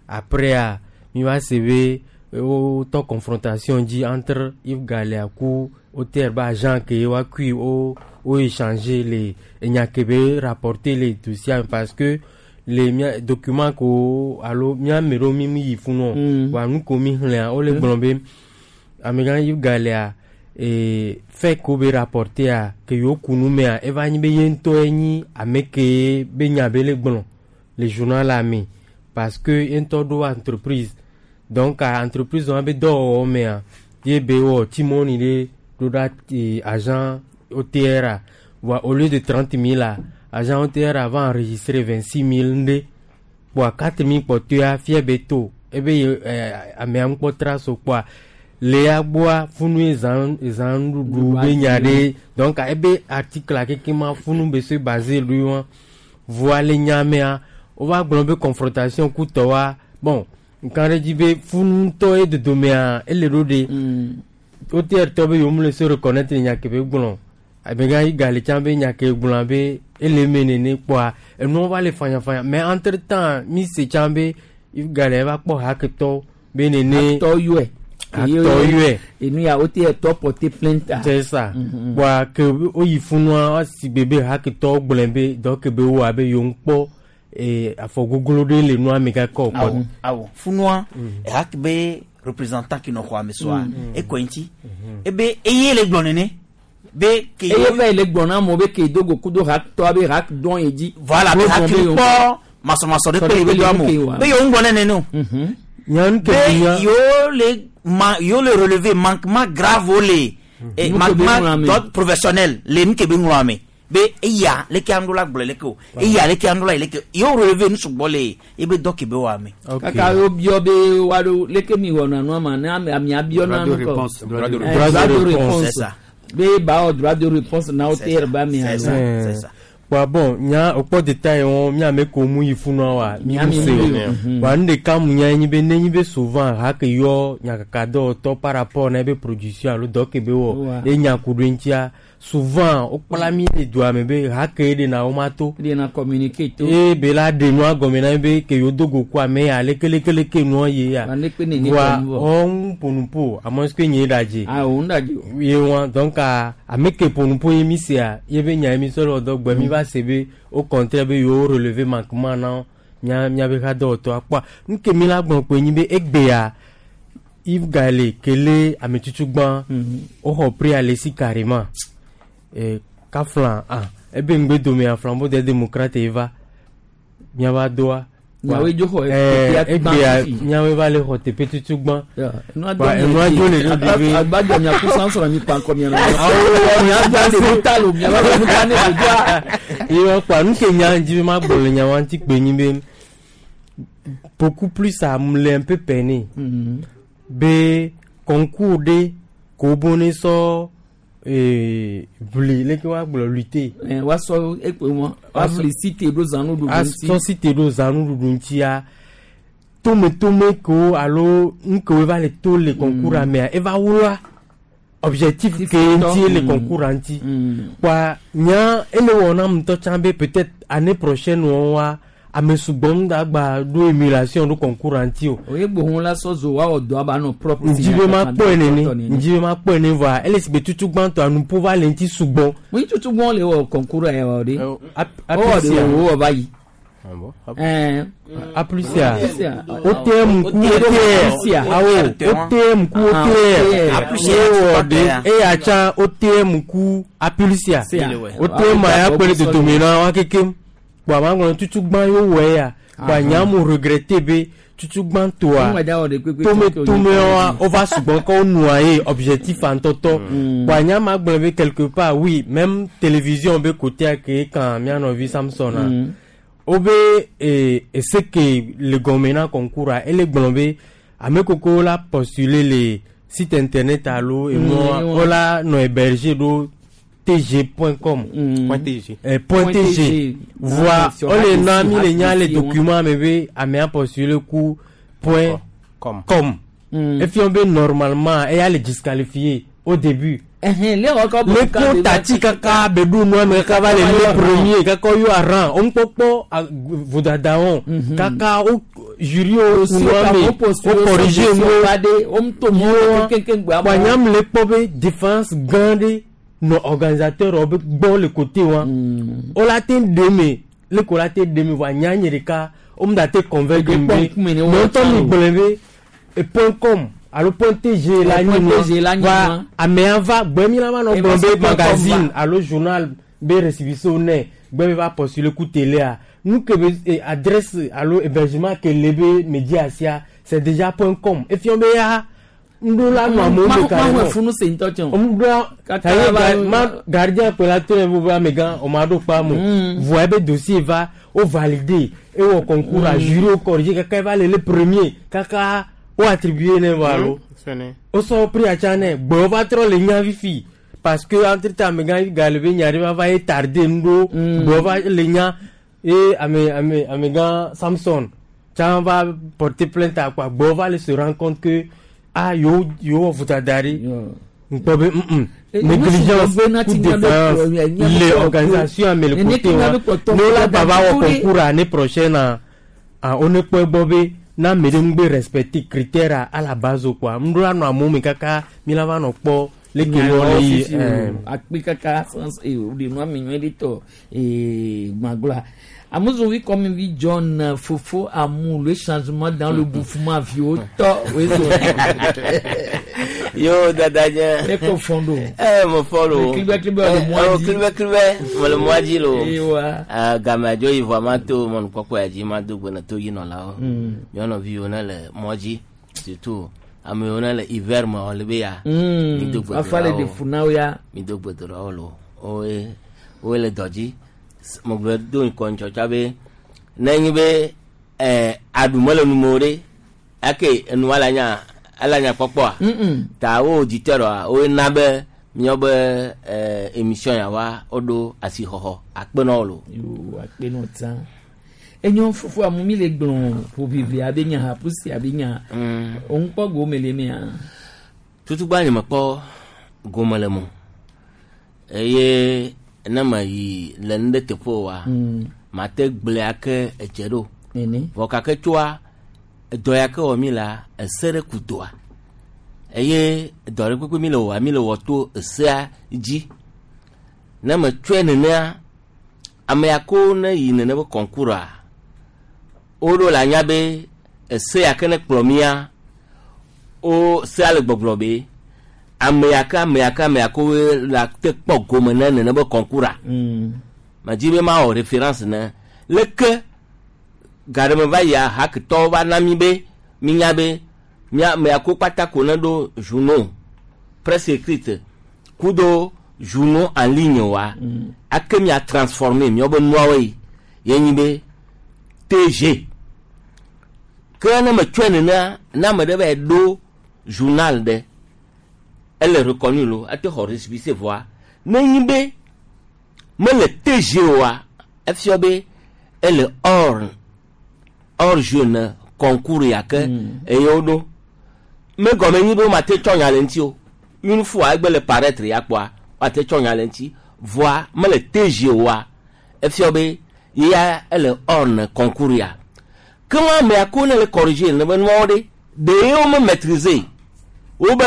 Après a mi va se be wotɔ confrontation dzi entre Yves Galea ku OTR be agent ke woakui wo wo échanger le enya ke be rapporter le dossier me parce que le mia document ko alo mia ame ɖewo mi mi yi funu wa nu ko mi xlẽa wole gblɔ be amegã Yves Galea fait ko be rapporter a ke yewo ku nu mea eva nyi be ye ŋutɔe nyi ame ke be nya be le gblɔ le journal la me parce que ye ŋutɔ ɖo entreprise donc a entreprise wa be dɔwɔwɔ mea ye be wɔ timɔni ɖe ɖo ɖa agent OTR a wa au lieu de 30 000 a agent OTR a va enregistrer 26 000 ŋɖe kpoa 4 000 kpɔtɔea fia be to ebe ye amea ŋkpɔ trace o kpoa le ya gbɔa funu ye zã zã nuɖuɖu be nya ɖe donc ebe article a keke ma funu be se basé lui wa voa le nya mea wova gblɔ be confrontation ku tɔ wa bon nka ɖe dzi be funu ŋutɔ ye dodomea ele ɖo ɖe OTR tɔ be yewo mu le se reconnaître nya ke be gblɔ amegã yi gali tsã be nya ke gblɔa be ele eme nene kpoa enuwo va le fanyafanya mais entre temps mi se tsã be Yves Gale va kpɔ haketɔ be nene Hatɔ yɔe. Hatɔ yɔe. Enu ya OTR tɔ porter plainte. C'est ça. Kpoa ke woyi funua woasi gbe be haketɔwo gblɔe be dɔ ke be woa be yewo ŋkpɔ afɔ goglo ɖe le nua me kaka o Awo, awo. Funua, ehak be représentant ki nɔ xɔa me soa, ekɔ ŋuti. Ebe eye le gblɔ nene. Be ke Eye va le gblɔ na amewo be ke do go kudo haktɔ be hak dɔn ye dzi. Voilà, be hak kpɔ masɔmasɔ ɖe kpe le be doa mo. Be yewo ŋgblɔ nene no. Nyan ke Be nya yewo le ma yewo le relever manquement grave wo le Nu ke be ŋlɔ manquement ame. d'ordre professionnel le nu ke be ŋlɔ ame. Be eya leke aŋɖo la gblɔ leke o. Eya leke aŋɖo la yi leke. Yewo relever nu sugbɔ le ebe dɔ ke be wɔ ame. Kaka wo biɔ be woaɖo leke mi wɔna nua ma ne ame amea biɔ na Droit de nu kɔ. réponse, droit de réponse. Droit de De réponse. C'est ça. Be ba wɔ droit de réponse na OTR ba mi C'est alo. ça. C'est ça. Wa bon nya okpɔ détail wɔn mi ame ko mu yi funua wa mi Mia mu mi se mu o yi o. wa nu ɖeka mu nya nyi be ne nyi be souvent hake yɔ nyakaka dɔwɔtɔ par rapport na ebe production alo dɔ ke be wɔ Wa. ye nya ku ɖo ŋutia souvent wokpla mi le dua me be hake ye ɖena wo ma to Ɖe na communiquer to. ye be la ɖe nua gɔme na be ke yewo do go ku ame ya lekelekele nua ye ya Wa ne kpe nene wa kɔ nu vɔ. ɔŋu ƒonuƒo ame si ke nye ɖadze Ah o ŋu ɖadze o. ye wa donc a ame ke ƒonuƒo ye mi sea ye be nya ye mi sɔ le wɔdɔ gbɔ mi va se be au contraire be yewo relever manquement na mia miabe hadɔwɔtɔ akpɔa nu ke mi la gblɔ kpoe nyi be egbea Yves Gale kele ame tutugbã woxɔ prix ale si carrément kafla ah ebe ŋgbe domea Flambeau des démocrates ye va miava doa Miawoe dzo xɔ teƒea gbã egbea fifi. miawoe va le xɔ teƒe tutugbã Enua Wa, enua dzo le ɖo ɖe be Agbadɔ miaku sansɔrɔ mi kpankɔ mia nɔ. Mia gba de nuta lo mia ba bɛ nuta ne o doa. ye wa kpoa nu ke nya dzi be ma gblɔ le nya wa ŋuti kpe nyi be beaucoup plus a me le un peu peiné be concours ɖe ko bo ne sɔ ʋli leke wa gblɔ lutter Wa sɔ ekpe wɔn. Wa fili site ɖo zanu ɖuɖu ŋuti. asɔ site ɖo zanuɖuɖu ŋutia tometome kewo alo nu kewo va le to le concours a mea eva wloa objectif ke ŋuti le concours a ŋuti kpoa nya ele wɔ nam ŋutɔ tsã be peut-être année prochaine wɔn wa ame sugbɔ ŋu da gba ɖo émulation ɖo concours a ŋuti o O ye gbohun la sɔ zo wa wɔ dɔ aba nɔ propre. ŋdzi be ma kpɔe nene ŋdzi be ma kpɔe nene voa ele si be tutu gbãtɔa nuƒo va le ŋuti sugbɔ Mo yi tutu gbɔn le wɔ concours yɛ wɔ de. O wɔ de Aplysia. o wɔ va yi. Aplysia. Aplysia. OTM ku OTR awo OTM ku OTR ye wɔ de eya tsã OTM ku Aplysia OTM a ya kpe ɖe dodome na wa kekem kpoa ma gblɔ tutu gbã ye wowɔ eya kpoa nya mo regretter be Tutugbãtoa Ŋgba dza wɔ ɖe kpekpe tome tsɔ ke tomewoa wònye wova sugbɔ ke wonɔa ye objectif ŋutɔtɔ. Kpoa nya ma gblɔ be quelque part, oui, même télévision be côté ke kan mía nɔvi Samson a wobe ese ke le gɔme na concours a, ele gblɔ be ame koko la postuler le site internet alo emɔa wola nɔ héberger ɖo tg.com. Point TG. Point Point TG. TG. Voa Ah, sur wole na HTC, mi le nya le HTC, document me be amea postuler ku point Com. com. Efia be normalement eya le disqualifié au début. Ɛhɛn, le wɔ kɔ Le ko tati kaka be ɖu nua me kaka va le le premier kaka yo aran o ŋkpɔkpɔ vodadawo kaka o jury o Aussi, nua me o postule, o corrige o wo ba de, o ŋutɔ mu kekeŋ gbɔ wa nyam le kpɔ be défense gã ɖe nɔ organisateur wo be gbɔ le côté wa o la te ɖe me le ko la te ɖe me voa nya nye ɖeka o mu da te convaincre Eke me kpɔ be ŋkume ne wo mɛ ŋutɔ mi tsã o. gblɔe be point com alo point tg la Point nyi TG la nyi nua nua. amea va gbɛ mi la va nɔ E gblɔ va be se point com magazine va. alo journal be récépissé nɛ gbɛ be va postuler ku télé nu ke be adresse alo hébergement ke le be média sia, c'est déjà point com efia be ya ŋɖo la nɔ amewo be Mahu efunu se ŋutɔ tsɛ o. ŋɖo Kaka ça va- ma gardien kpe la to ne bo be amegã o ma ɖo kpa mo voa ebe dossier va o validé ewɔ concours a jury o corrigé kaka eva le le premier kaka o attribué ne va alo Sene. o sɔ prix atsa nɛ gbɔwɔ va trɔ le nya fifi parce que entre temps amegã gale be nya ɖe va va ye tardé ŋɖo gbɔwɔ va le nya ye ame ame amegã Samson tsã va porter plainte akpa gbɔwɔ va le se rendre compte que ah yewo yewo wɔ vodada ɖe ŋkpɔ be négligence ou défaillance le organisation ame le côté wa ne wola gba va wɔ concours année prochaine a ah wo ne kpɔ egbɔ be na ame ɖe ŋugbe respecter critère a à la base o kpoa ŋɖo la nɔ amewo me kaka mi la va nɔ kpɔ leke nua le yi akpe kaka sans o de nua mi nyuie ɖe tɔ gbagblɔa amuzovi comme vi John fofo amu le changement dans le bouffement viwo tɔ o ye so. Yo dada nye. E ko fɔn do. Ɛ mo fɔn lo. Clibɛ clibɛ le mɔ di. Clibɛ clibɛ mo le mɔ dzi lo. Ewa. Game dzo yi vɔ ma to mɔnukpɔkpɔ ya dzi ma do gbe na to yi nɔlawo. Nyɔnuviwo ne le mɔ dzi surtout ame yiwo ne le hiver me wɔ le be ya. Mi do gbe Afa le do de ɖa wo. funawo ya. Mi do gbe do ɖa wo lo. Woe woe le dɔ dzi. Mo gblɔ do ŋkɔ ŋtsɔtsa be ne nyi be aɖu mele nu me o ɖe ake enua la nya ala nya kpɔkpɔa. Ta wo auditeur wa woe na be míawo be émission ya wa woɖo asixɔxɔ akpe na wo lo. Yo akpe nɔ tsã. Enyo fofo amu mi le gblɔ ƒoʋiʋli abe nya hapusi abe nya. O ŋkpɔ gome le mea. Tutugba nye mekpɔ gome le mo eye ne me yi le nu ɖe teƒe o wa mate gblɔe ake edze ɖo. Nene. Vɔ gake tsoa edɔ ya ke wɔ mi la ese ɖe ku doa eye dɔ ɖe kpekpe mi le wɔa mi le wɔ to esea dzi ne me tsɔe nenea ame ya ko ne yi nene be concours a woɖo le anya be ese ya ke ne kplɔ mía wo sea le gbɔgblɔ be ame ya ke ame ya ke ame ya ke woe la te kpɔ gome ne nene be concours a medzi be mawɔ référence ne leke ga ɖe me va yia haketɔwo va na mi be minya be mía ame ya ko kpata ko ne ɖo journaux presse écrite kudo journaux en ligne wa ake mia transformer miawo be nuawo yi ye nyi be TG ke ne me tsɔe nenea ne ame ɖe va yi ɖo journal ɖe ele reconnu lo ate xɔ récépissé vɔa ne nyi be mele TG oa efia be ele hors hors jeu ne concours ya ke eye woɖo me gɔme nyi be womate tsɔ nya le ŋuti o. Une fois egbe le paraître ya kpɔa woate tsɔ nya le ŋuti vɔa mele TG oa efia be ya ele hors ne concours ya ke wɔn amea ko ne le corriger ne be nuawo ɖe ɖe wo me maîtriser wo be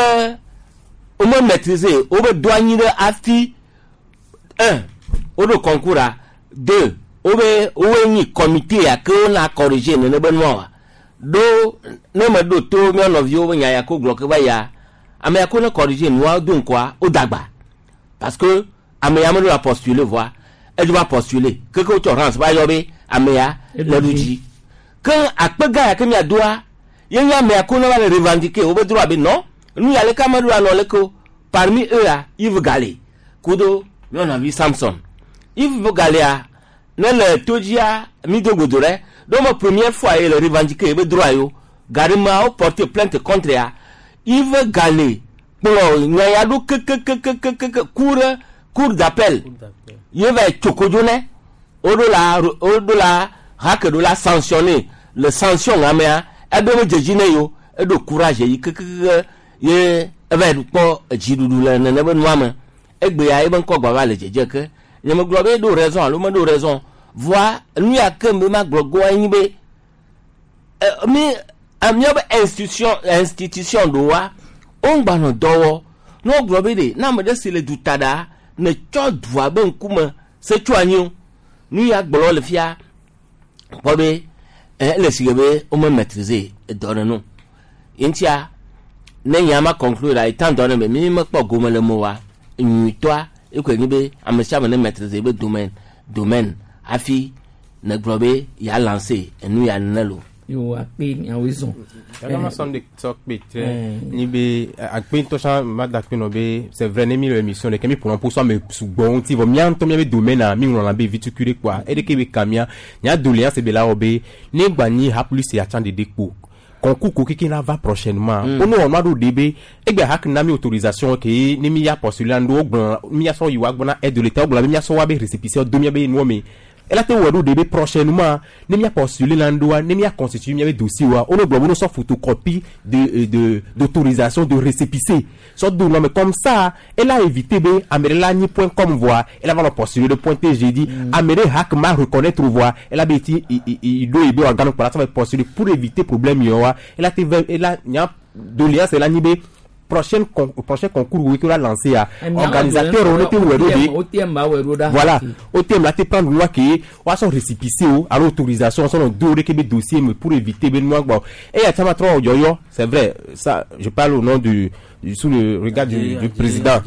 wo me maîtriser wo be do anyi ɖe hafi un woɖo concours a deux wo be woe nyi comité ya ke wona corriger nene be nuawoa ɖo ne me ɖo to mía nɔviwo be nya ya ko gblɔ ke va yia ame ya ko ne corriger nua do ŋkɔa wo dagba parce que ame ya meɖo la postuler vɔa edzo va postuler keke wotsɔ rance va yɔ be ame ya le ɖu dzi Ke akpe gã ya ke miadoa, ye nye amea ko ne va le revendiquer wobe droit be non, nu ya leke ame ɖo anɔ leke o. Parmi eux-a, Yves Gale kudo mía nɔvi Samson. Yves Galea, ne le to dzia, mi do godo ɖe. Ɖo me première fois ye le revendiquer yebe droit yo. Gaɖemea wo porter plainte contre ya. Yves Gale kplɔ nya ya ɖo kekekekekeke ku ɖe cour d'appel. Ye va yi tso kodzo nɛ. Woɖo la woɖo la hake ɖo la sanctionner. Le sanction amea, eɖo me dzedzi ne yo. Eɖo courage yi kekekeke ye eva yi kpɔ edziɖuɖu le nene be nua me. Egbea yebe ŋkɔ gba va le dzedze ke. Nye megblɔ be eɖo raison alo meɖo raison. Voa nu ya ke me ma gblɔ goa nye be mi míabe institution institution ɖoa wo ŋgba nɔ dɔ wɔ. Ne wogblɔ be ɖe ne ame ɖe si le duta ɖa ne tsɔ dua be ŋkume se tso anyi o. Nu ya gblɔ le fia kpɔ be ele si ke be wome maîtriser edɔ ɖe nu. Ŋutia ne nya ma conclure la étant donné be mi mekpɔ gome le me oa nyuitɔa ekoe nye be ame sia ame ne maîtriser be domaine domaine hafi ne gblɔ be ya lancer enu ya nene lo. Yo akpe miawoe zɔn. Yàrá ma sɔn de sɔ kpe tɛ ni be akpe ŋutɔ tsã ma da kpe nɔ be c'est vrai ne mi le émission ɖeke mi ƒona ƒo so ame sugbɔ ŋuti vɔ mía ŋutɔ míabe domaine a mi ŋlɔna be vitukui ɖe kpoa eɖeke be ka mía nya doléance be la wɔ be ne gba nyi ha plus ya tsã ɖeɖe kpo concours ko keke la va prochainement. Ono wɔn ma ɖo de be egbe hak na mi autorisation ke ne mi ya postuler ŋɖo wogblɔ mi ya sɔ yi wa gbɔna aide de l'état wogblɔ be mi ya sɔ wa be récépissé do mia be nuwo me ela te wɔ ɖo de be prochainement ne mi ya postuler la ŋɖoa ne mi ya constituer mia be dossier wa ono gblɔ be no sɔ photocopie de de d'autorisation de récépissé sɔ do nɔ me comme ça elle a évité be ame ɖe la nyi point com voa elle va nɔ postuler de point tg di ame ɖe hak ma reconnaître voa elle a be ti i do yi be organe kpɔ la sɔ va postuler pour éviter problème yɔ wa elle a te vɛ elle a nya doléance la nyi be prochaine con prochain concours wo la lancé a organisateur on était wɛ ɖo de OTM ba wɛ ɖo ɖa. Voilà, OTM la te prendre loi ke wa sɔ récépissé o alo autorisation sɔ nɔ do ɖe ke be dossier me pour éviter be nua gbɔ eya tsã ma trɔ yɔyɔ. C'est vrai, ça je parle au nom du sous le regard du président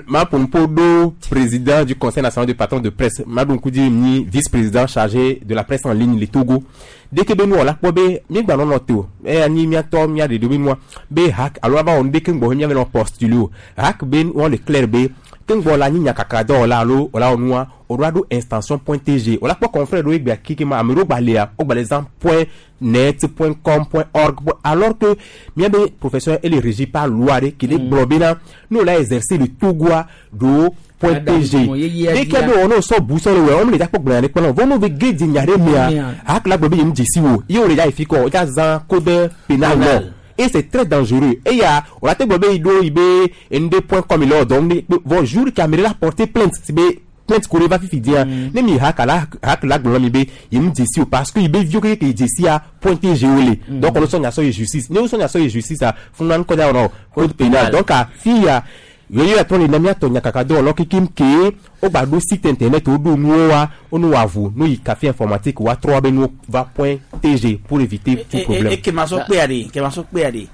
ma pompo do président du Conseil national de patrons de presse Madou Koudi ni vice-président chargé de la presse en ligne le Togo. Dès que be nu la kpɔ be mi gba nɔ nɔ te o eya nyi miatɔ mia ɖeɖe be nua be hak alo ava wɔ nu ɖe ke ŋgbɔ mia be nɔ postuler o hak be wɔn le clair be ke ŋgbɔ la nyi nyakaka dɔwɔla alo wòla wɔ nua o ɖo aɖo extension point tg wòla kpɔ confrère ɖewo egbea keke ma ame ɖewo gba lia wo gba le zã point net, point com, point org, alors que miabe professeur ele régi par loi ɖe ke ɖe gblɔ bena ne wòla exercer le Togoa ɖo point tg dès que be wɔn sɔ bu sɔ le wɛ wɔn le dza kpɔ gblɔ ya ɖe kpɔ vɔ n'o be ge di nya ɖe mea hak la gblɔ be yem dzesi wo ye wo le dza yi fi kɔ o dza zã code pénal nɔ et c'est très dangereux. Et ya o la te gblɔ be yi ɖo yi be nd point com le wɔ dɔn ne vɔ jour ke ame ɖe la porter plainte si be plainte ko ɖe va fifi dia ne mi hak la hak la gblɔ mi be yem dzesi o parce que yi be viwo keke ke dzesia point tg wo le donc on sɔ nya sɔ yi justice ne wo sɔ nya sɔ yi justice a funu kɔ da wɔnɔ code pénal. Donc a fi ya yeye atɔ le na miatɔ nyakaka dɔwɔlɔ kekem ke wo gba ɖo site internet wo ɖo nuwo wa wo nu wa vo no yi café informatique wa trɔ be nuwo va point tg pour éviter tout problème. E ke ma sɔ kpea ɖe ke ma sɔ kpea ɖe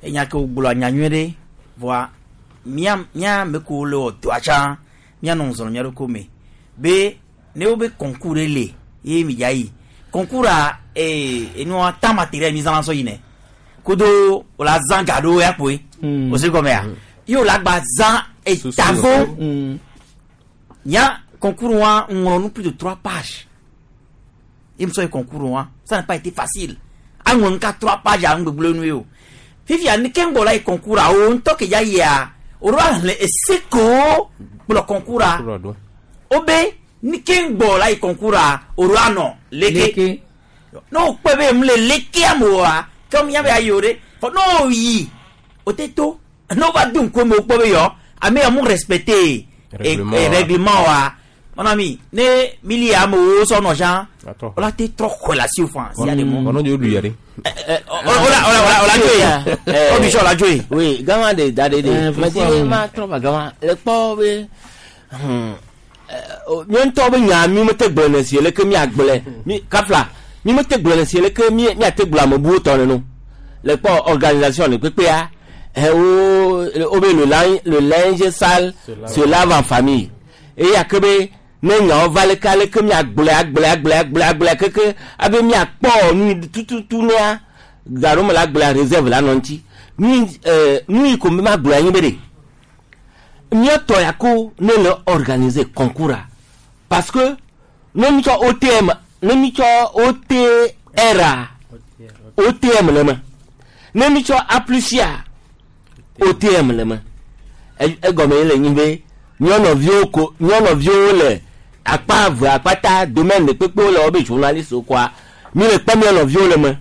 enya ke wogblɔ nya nyuie ɖe voa mía mía ame kewo le wɔ dɔa tsã míanɔ ŋzɔ le mía ɖokui me be ne wobe concours ɖe le ye mi dza yi concours a ee enua temps matériel mi zãna sɔ yinɛ kudo wòla zã ga ɖewo ya kpoe o se gɔmea ye wòla gba zã etavo nya concours wa ŋlɔ nu plus de trois pages ye mi sɔ yi concours wa. Ça n'a pas été facile aŋlɔ nu ka trois pages a ŋgbegble nu ye o fifia ni ke ŋgbɔ la yi concours a o ŋutɔ ke dza yia o ɖo ahlẽ ese kowo kplɔ concours a o be ni ke ŋgbɔ la yi concours a o ɖo anɔ leke ne o kpɛ be mu le lekea me oa ke mía be ayi o ɖe fɔ ne o yi o te to ne o va do ŋku me o kpɔ be yɔ ame ya mu respecter règlement wa mon ami ne mili amewo sɔ nɔ jean o la te trɔ xɔe le asiwò fan si ya de mɔ. Ɔnɔ de o lu yɛrɛ. O la o la o la o la dzo ye o bi sɔ o la dzo ye. Oui, gama de da de de mɛ ti ma trɔ va gama le kpɔ be míawo ŋutɔ be nya mi mete gblɔ ne si leke miagblɔe mi kafla mi mete gblɔ ne si leke mi miate gblɔ ame buwo tɔ nenu le kpɔ organisation le kpekpea wo wo be le linge sale se lave en famille eya ke be Ne nyawo va leke aleke miagblɔe agblɔe agblɔe agblɔe agblɔe keke abe miakpɔ nu yi tututu nea gaɖo me la gblɔa réserve la nɔ ŋuti. Nu yi nu yi ko mi ma gblɔe anyi be ɖe. Míatɔ ya ko ne le organiser concours a parce que ne mi tsɔ OTM ne mi tsɔ OTR a OTM le me. Ne mi tsɔ A plus a OTM le me. Egɔme ye le nyi be míanɔviwo ko míanɔviwo le akpa eve akpata domaine de kpekpewo le wobe journaliste wo koa mi le kpɔ míanɔviwo le me.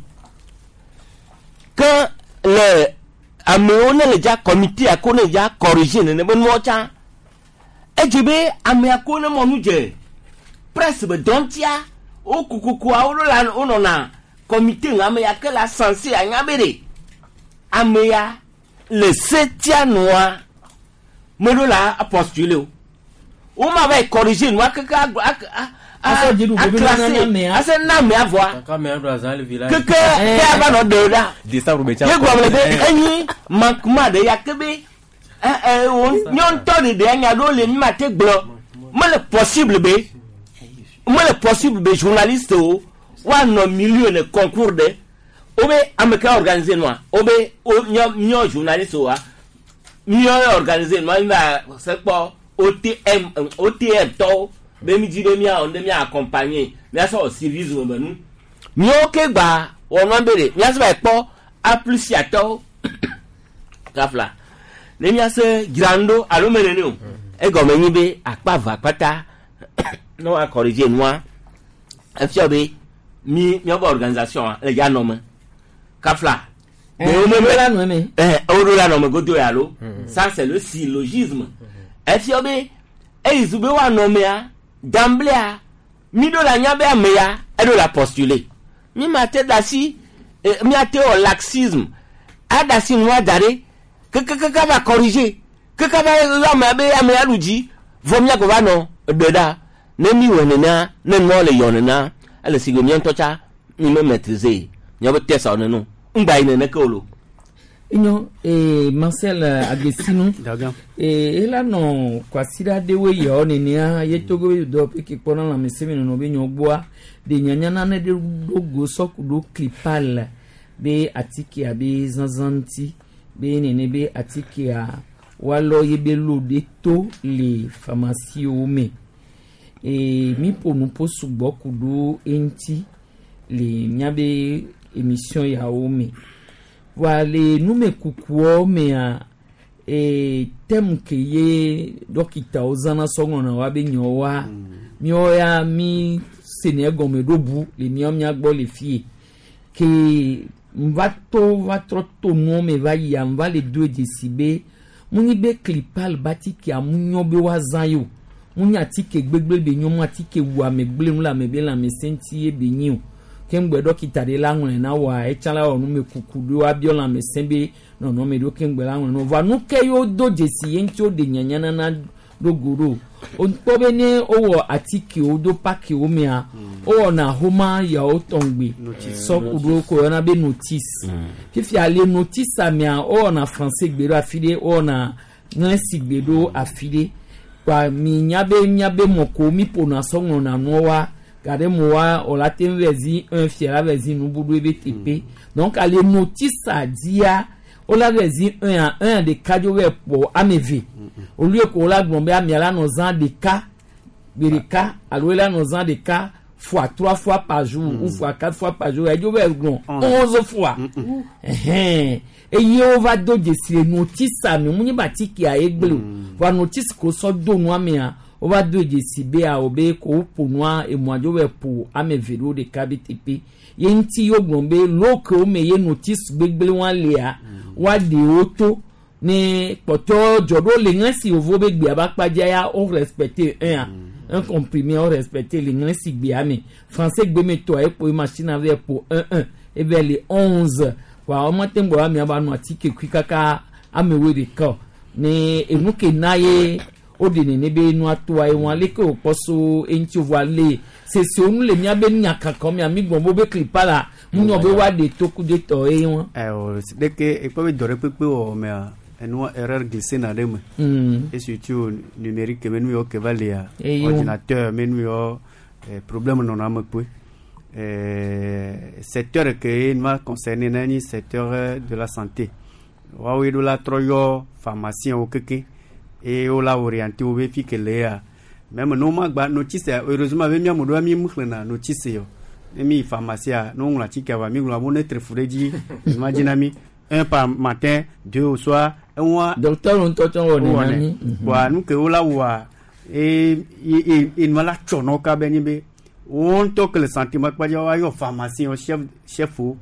Ke le amewo ne le dza comité ko ne dza corriger nene be nuwo tsã edze be amea ko ne mɔ nu dze presse be dɔntia wo kokokoa wo la wonɔna comité ŋu ame ya ke la censé anya be ɖe ame ya le setia nua meɖo la postuler o wo ma va yi corriger nua keke agblɔ ak a Asɔ dziɖuɖu be a nana amea. ase na amea vɔa Kaka mea ɖo azã le village. keke ke ava nɔ ɖe ɖa Décembre be ye gblɔ le be enyi manquement ɖe ya ke be ɛ ɛ wo nyɔ ŋutɔ ɖeɖe anya ɖewo le mi ma te gblɔ mele possible be mele possible be journaliste wo woanɔ milieu le concours ɖe wo be ame ke organiser nua wo be wo nyɔ nyɔ journaliste woa míɔ organiser nua mi va se kpɔ OTM OTM tɔwo be mi dzi be míawɔ nu ɖe mía accompagner míasɔ wɔ civisme be nu míawo ke gba wɔ nua be ɖe míasɔ va yi kpɔ A plus tɔwo kafla ne míase dzra nu ɖo alo me nene o egɔme nyi be akpa eve akpata ne woa corriger nua efia be mi míaƒe organisation le dza nɔ me kafla. Woɖo la nɔ eme. Woɖo la nɔ me godo ya alo ça c'est le syllogisme efia be eyi zu be woanɔ mea danblea mi ɖo la nya be ame ya eɖo la postuler mi ma te da si miate wɔ laxisme ada si nua da ɖe kekekeke va corriger keke va yɔ amea be amea ɖu dzi vɔ miago va nɔ ɖe ɖa ne mi wɔ nenea ne nua le yɔ nenea ele si ge mía ŋutɔ tsa mi me maîtriser míaƒe test wɔ neno ŋgba yi nene ke o lo. Enyo Marcel Agbesinu ela nɔ kwasiɖa ɖewoe yawo nenea ye Togo be dɔwɔƒe ke kpɔna lãmesẽmenɔnɔ be nyɔ gbɔa ɖe nyanya nane ɖe ɖo go sɔku ɖo clipal be atikea be zazã ŋuti be nene be atikea woalɔ ye be lo ɖe to le pharmacie me mi ƒo nuƒo sugbɔ ku ɖo eŋuti le míabe émission yawo me voa le numekukuawo mea thème ke ye dɔkitawo zãna sɔ ŋlɔna woabe nyawoa míawo ya mi senɛ gɔme ɖo bu le míawo mía gbɔ le fie ke nva to va trɔ to nuwo me va yia nva le do dzesi be mu nyi be clipal be atikea mu nyɔ be woazã ye o mu nye atike gbegble be nyɔ mu atike wu ame gble nu le ame be lãmesẽ ŋuti ye be nyi o ke ŋgbɛ dɔkita ɖe la ŋlɔe na woa etsã la wɔ numekuku ɖo abiɔ lãmesẽ be nɔnɔme ɖo ke ŋgbɛ la ŋlɔe na wo voa nu ke yewo do dzesi ye ŋuti woɖe nyanya nana ɖo go ɖo wokpɔ be ne wowɔ atikewo do pakiwo mea wowɔna homa yawo tɔŋgbe sɔ ku ɖo ko yɔna be notice fifia le notice mea wowɔna français gbe ɖo afi ɖe wowɔna ŋlɛsi gbe ɖo afi ɖe kpa mi nya be miabe mɔ ko mi ƒona sɔ ŋlɔna nuawoa gade mo wa wòla te ŋu vɛ zi un fia la vɛ zi nubuɖo ebe teƒe donc ale notice dzia wola vɛ zi un a un ɖeka dzo vɛ kpɔ ame eve olu ko wola gblɔ be amea la nɔ zã ɖeka gbe ɖeka alo ela nɔ zã ɖeka fois trois fois par jour ou fois quatre fois par jour edzo vɛ gblɔ 11 fois ɛhɛn eye wova do dzesi le notice me mu nye be atikea ye gble o voa notice ko sɔ do nua mea wova do dzesi be awɔ be ko woƒo nua emɔa dzo vɛ ƒo ame eve ɖo ɖeka be teƒe ye ŋuti wogblɔ be lo kewo me ye notice gbegble wa lia woaɖe wo to ne kpɔtɔ dzɔ ɖo le ŋlɛsi yovo be gbea be akpadzia ya wo respecte un a un comprimé wo respecte le ŋlɛsi gbea me français gbe me tɔa ekpo ye machine vɛ ƒo un un eve le 11 wa wɔn te ŋgbɔ amea ba nɔ atike kui kaka amewoe ɖeka o ne enu ke na ye woɖe nene be nua toa ye wɔn aleke wòkpɔ so eŋuti voa le sese nu le míabe nyakaka mea mi gbɔn bo be klipa la mu nyɔ be woaɖe toku de tɔ ye wɔn. Ayiwa ɖeke ekpɔ be dɔ ɖe kpekpe wɔ mea Enua erreur glissé na ɖe me. Et surtout numérique me nu yɔ ke va lia. Eye wo- Ordinateur me nu yɔ problème nɔnɔ ame kpoe. Secteur ke nua concerné na nyi secteur de la santé. Woawoe ɖo la trɔ yɔ pharmacien wo keke eye wo la orienté wo be fi ke le ya. Même ne womagba notice heureusement be míame ɖoa mi mu xlẽna notice o. Ne mi yi pharmacie ne woŋlɔ atikea vɔa mi ŋlɔ abo ne tre fu ɖe edzi ma dzi na mi. Un par matin, deux au soir. Enua. Docteur ŋutɔ tsɔ wɔ nena mi. Bɔn nu ke wo la wɔa e e e nua la tsɔ nɔ kabe nyi be wo ŋutɔ ke le santé ma kpa dzi woayɔ pharmacien wo chef chef wo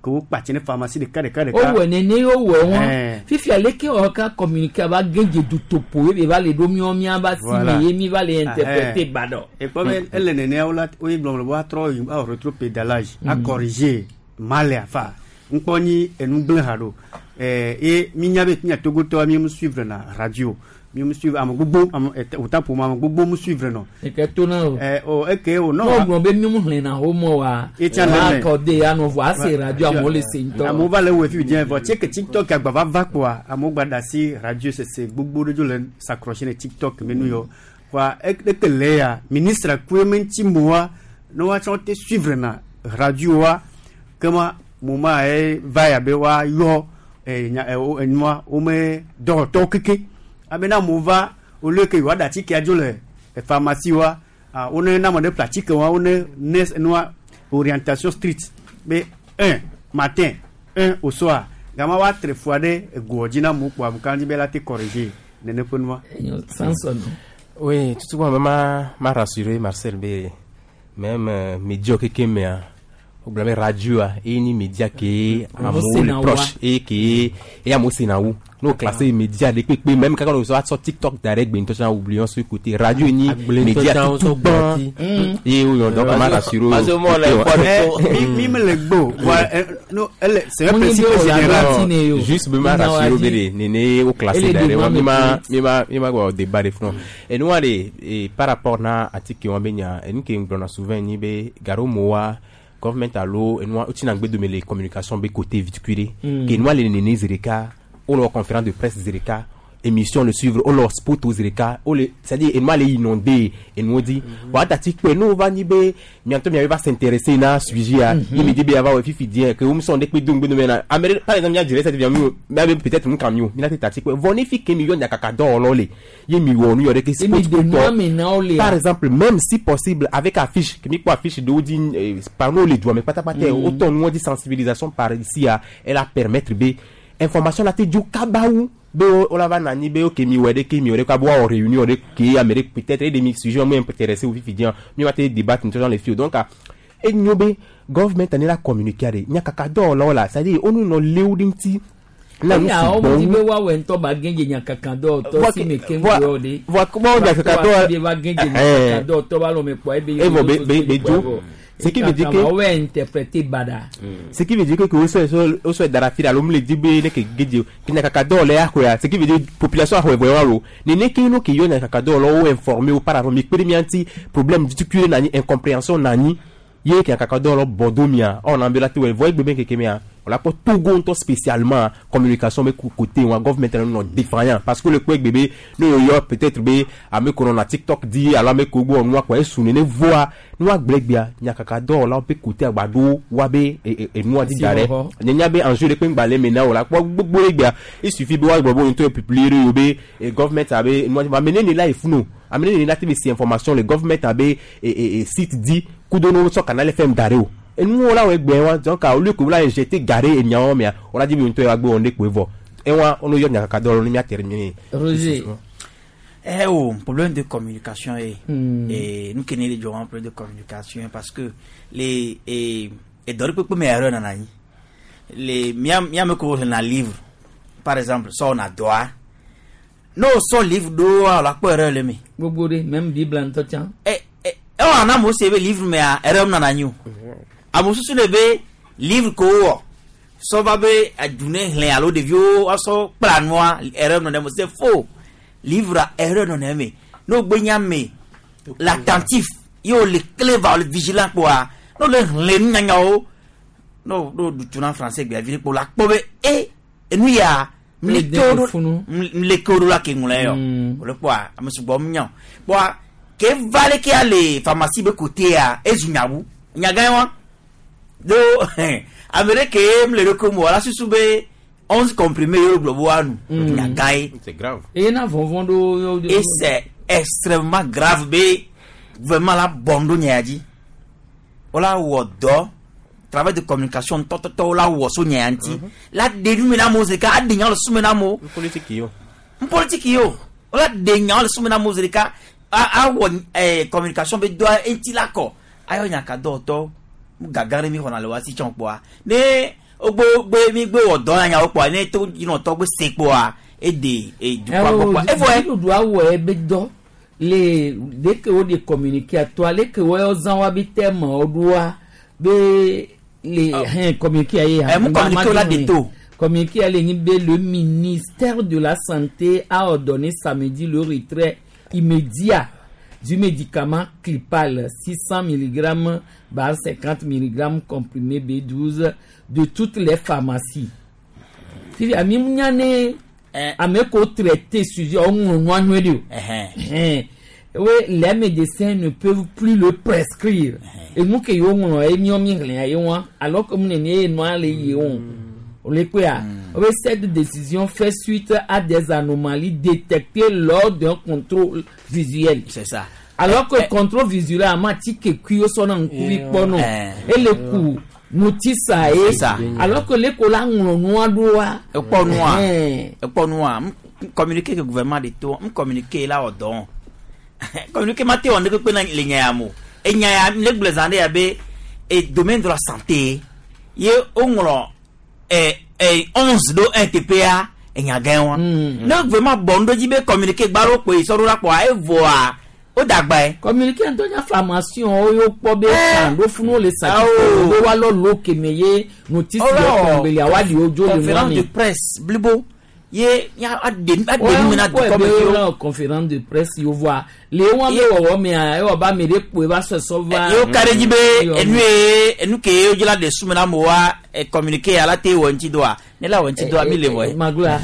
ke wo kpatsi ne pharmacie ɖeka ɖeka ɖeka. Wowɔ nene ye wowɔ wɔn. Ɛɛ. Fifia leke wɔ ka communiquer ava gedze dutopo ye be va le ɖo miɔ miaba si Voilà. me ye mi va le interpréter Ɛhɛn. gbadɔ. Ekpɔ be ele nenea wo la woyi gblɔm le be woatrɔ yi awɔ rétropédalage a corriger mal afa ŋkpɔ nyi enu gblẽ ha ɖo ɛɛ ye mi nya be mia togotɔa mi mu suivre na radio mi mu suivre ame gbogbo ame ɛtɛ wòta ƒome ame gbogbo mu suivre nɔ. Eke to na o. Ɛ o eke o N'o nɔ. gblɔ be mi mu xlẽna wo mɔ wa. Etsa wa le mɛ. kɔ de ya nɔ vɔ ase radio amewo le se ŋutɔ. Amewo va le wɔ fi diɛ vɔ tse ke tiktok agba va va kpoa amewo gba da asi radio sese gbogbo ɖe dzo le s'accrocher ne tiktok me nu yɔ kpoa eke le ya ministre koe me ŋuti moa ne woatsɔ te suivre na radio wa kema moma ye va ya be woayɔ nya enua wome dɔwɔtɔwo keke abe ne amewo va au lieu que yewoaɖe atikea dzo le pharmacie wa ah, wone ne ame ɖe ƒle atike wa wone ne nua orientation street be un matin un au soir gama woatre fua ɖe egoa dzi na amewo kpoa amewo dzi be la te corriger nene ƒe nua. Samson. Oui, tout ce m'a m'a rassuré Marcel be même média keke mea o gblɔ be radio a eye ni média ke Amewo amewo sena le woa. proche eye ke eye amewo sena wu n'o classé média ɖe kpekpe même kaka n'o sɔ TikTok da ɖe gbe ŋutɔ tsã oublions ce côté radio ni Agble ŋutɔ média tsã tutu wosɔ gbã gbɔti. eye wo yɔ donc m'a rassuré o. Mi mi mele gbɔ wa no ele c'est un Mo ní principe bí ọ̀la général. bá ti ne yo. Juste be ma Mina wa rassuré di. be de nene o classé Ele da de ɖe wa ma mi me ma pe. mi ma mi ma gbɔ débat de front enua de par rapport na atike wa be nya enu ke ŋgblɔna souvent nyi be garo moa government alo enua wotsina ŋgbe dome le communication be côté vitukui ɖe ke enua le nene zi ɖeka wole wɔ conférence de presse zi ɖeka émission le suivre wole wɔ spot zi ɖeka wole c'est à dire enua le inondé enuwo dzi wa dati kpe ne wova nyi be miatɔ miabe va s'intéresser na sujet ya ye mi di be ava wɔ fifi diɛ ke wo musɔn ɖe kpe do ŋgbe dome na ame ɖe par exemple mia direct via mi o miabe peut-être nu kan mi o mi la te tati kpe vɔ ne fi ke mi yɔ nyakaka dɔwɔlawo le ye mi wɔ nu yɔ ɖe ke Ye mi spot de nua kutɔ me na wo le. par exemple même si possible avec affiche ke mi kpɔ affiche ɖewo dzi panneau le dua me pátápátá wotɔ nuwo dzi sensibilisation par ici ya elle a permettre be information la te dzo kaba wu be wola va nani be ok mi wɔ ɖe ke mi wɔ ɖe kaba woawɔ réunion ɖe ke ame ɖe peut-être ede mi sujet mi intéressé wo fifi diɛ mi va te débattre ŋutɔ le fi o donc ah, enyo be government ani la communiquer ɖe nyakaka dɔwɔlawo la c'est à dire wonu nɔ léwu ɖe ŋuti na nu Eya sugbɔ wo di wu be woawɔ ŋutɔ ba gedze nyakaka dɔwɔtɔ Voa si ke- me ke voa- ŋgɔ de. voa comment nyakaka dɔwɔ- Ba ba gedze Eh, nyakaka dɔwɔtɔ ba lɔ me kpɔ ebe. Eh, bon, be dzo. Ce qui veut dire que- Wɔwɔ interpréter bada. ce qui veut dire que que wo sɔ dara fi ɖe alo mu le di be ne ke gedze ke nyakaka dɔwɔla ya xɔa ce qui veut dire population axɔe vɔ wa lo nene ke no ke yɔ nyakaka dɔwɔlawo informer wo par rapport mi kpe ɖe mia ŋuti problème difficulté nanyi incompréhension nanyi ye ke nyakaka dɔwɔlawo bɔ do mia ɔna be la te wɔ vɔ egbe be keke mia wòle akpɔ Togo ŋutɔ spécialement communication be côté wa government nɔ défaillant parce que le kpɔ egbe be ne yɔ yɔ peut-être be ame ko nɔna TikTok di alo ame ko gbɔ nua kɔ esu nene voa nua gblẽ gbea nyakaka dɔwɔlawo be côté agbado wa be enua di da ɖe Asiwɔwɔ. nye nya be enjeu ɖe kpe ŋgba le me na o la kpɔ gbogbo ɖe gbea il suffit be woagblɔ be ŋutɔ publier ɖe yo be government abe nua ame nene la efunu ame nene la te be si information le government abe site di kudo ne wosɔ canal FM da ɖe o enuwo la wɔ egbe wa donc au lieu que wola injecter gare enyawo mea wola di be ŋutɔ ya gbe wɔn ɖe kpoe vɔ ewa wono yɔ nyakaka dɔwɔlawo ne mia terminer. Roger. Eh oh, problème de communication eh. Et nous connaissons les gens problème de communication parce que les et dans le peu mais erreur nana les mia mia me ko na livre par exemple ça on a droit no so livre do la ko erreur le mi Gbogbo de même Bible ŋutɔ tsã. eh eh on a mo se be livre mais a erreur nana nyi o amo susu le be livre ko wo so va be adune hle alo ɖeviwo asɔ kpla nua erreur nana mo c'est faux livre a erreur nana me no gbe nya me l'attentif ye o le clever o le vigilant kpoa no le hle nunyanyawo no no dutu na français gbe avi kpo la kpɔ be e enu ya Mleke wo ɖo la ke ŋlɔe yɔ. Wòle kpɔa ame sugbɔ nya o. Kpɔa ke va leke ya le pharmacie be côté-a ezu nyawu. Nyagã ye wa. Do ame ɖe ke mle ɖo ko mo la susu be 11 comprimés ye wogblɔ be woanu. Nyagã ye. C'est grave. Eye na vɔvɔ̃ ɖo. Et c'est extrêmement grave be gouvernement la bɔn ɖo nya ya dzi. Wola wɔ dɔ travail de communication tɔtɔtɔ wola wɔ so nya ya ŋuti. La ɖe nu me na amewo zi ɖeka aɖe nyawo le susu me na amewo. Politique yo. N politique yo. Wola ɖe nyawo le susu me na amewo zi ɖeka awɔ communication be dɔa eŋuti la kɔ. Ayɔ nyakadɔwɔtɔwo nu gagã ɖe mi xɔna le wa si tsɔ kpɔa. Ne wogbe gbe mi gbe wɔ dɔ ya nyawo kpɔa ne to dzinɔtɔ gbe se kpɔa ede dukɔa gbɔ kpɔa. Evɔ ye. Dziɖuɖu awɔ ebe dɔ le leke wo de communiquer atoa leke wo zã wa be terme wo ɖoa be le hɛn communiquer ye. Mu communiquer wo la de to. Communiquer le nyi be le ministère de la Santé a ordonné samedi le retrait immédiat du médicament Clipal 600 mg bar 50 mg comprimé B12 de toutes les pharmacies. Fifi ami nya ne ame ko traité sujet o ŋlɔ nua nyuie de o. Ɛhɛn. Oui, les médecins ne peuvent plus le prescrire. Enu ke yewo ŋlɔ ye miɔ mi xlẽ ye wa alors que mu nene ye nua le ye o. O le kpea. Oui, cette décision fait suite à des anomalies détectées lors d'un contrôle visuel. C'est ça. Alors que contrôle visuel a ma ti ke kui wo sɔna ŋkuvi kpɔ nɔ. Ele ku notice a ye. C'est ça. Alors que le ko la ŋlɔ nua ɖoa. Ekpɔ nua. Ɛhɛn. Ekpɔ nua. M communiquer ke gouvernement de to. M communiquer la wɔ dɔn. Communiquer ma te wɔ ne kpekpe na le nya ya mo. Enya ya ne gblɔ zã ɖe ya be e domaine de la santé ye woŋlɔ 11 ɖo 1 teƒea enya gã wa. Ne gouvernement bɔ nu ɖo dzi be communiquer gba ɖo kpoe sɔ ɖo la kpɔa evɔa wo da agba ye. Communiquer ŋutɔ nya formation wo yewo kpɔ be kan ɖo funu le sa be woalɔ lo keme ye notice yɔ kɔngbeli awa ɖi wo dzo le nua conférence me. de presse blibo ye ya aɖe nu me na Wọ́n dukɔ me kɔ viwo. ebe conférence de presse yewo voa le wɔn be wɔwɔ mea ewɔ ba ame ɖe kpoe va sɔsɔ va. Ye wo ka ɖe dzi be enu ye enu ke ye wodzi la ɖe sume na amewoa communiquer ya la te wɔ ŋuti dɔa ne la wɔ ŋuti dɔa mi le vɔ ye. Magloa.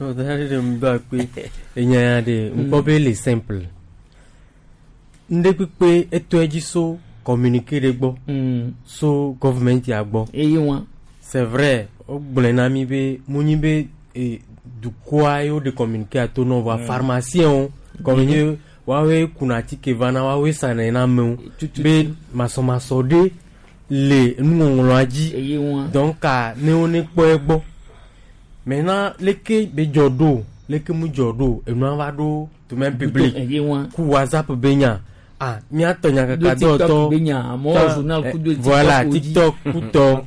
Ɔda ɖe ŋdɔ akpe enya ya ɖe ŋkpɔ be le simple. Ŋɖe kpekpe etɔe dzi so communiqué ɖe gbɔ. So government ya gbɔ. Eye wa. C'est vrai wogblɔe na mi be mu nyi be dukɔa ye woɖe communiqué ato nɔ vɔa pharmacien wo comme nye woawoe kuna atike vana woawoe sanɛ na amewo be masɔmasɔ ɖe le nuŋɔŋlɔa dzi. Eye wa. Donc ne wo ne kpɔ egbɔ. Maintenant leke be dzɔ ɖo leke mu dzɔ ɖo enua va ɖo domaine public Eye wa. ku WhatsApp be nya ah miatɔ nyakaka Do TikTok dɔwɔtɔ be nya, amewo ta- journal ku do TikTok voilà wo dzi. TikTok kutɔ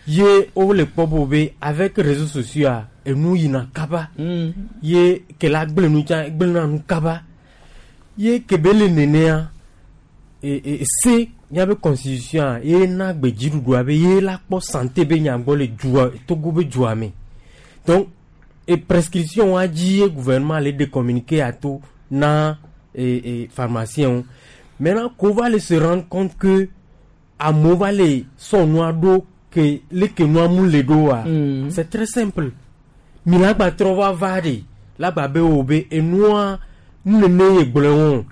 ye wole kpɔ bo be avec réseaux sociaux a enu yina kaba ye ke la gblẽ nu tsã gblẽna nu kaba ye ke be le nenea se miabe constitution a ye na gbe dziɖuɖua be ye la kpɔ santé be nya gbɔ le dua Togo be dua me donc e prescription wa dzi ye gouvernement le de communiquer ato na pharmacien wo maintenant qu'on va le se rendre compte que amewo va le sɔ nua ɖo ke leke nua mu le ɖo wa c'est très simple mi la gba trɔ va va ɖe la gba be wo be enua nu nene ye gblɔe wɔn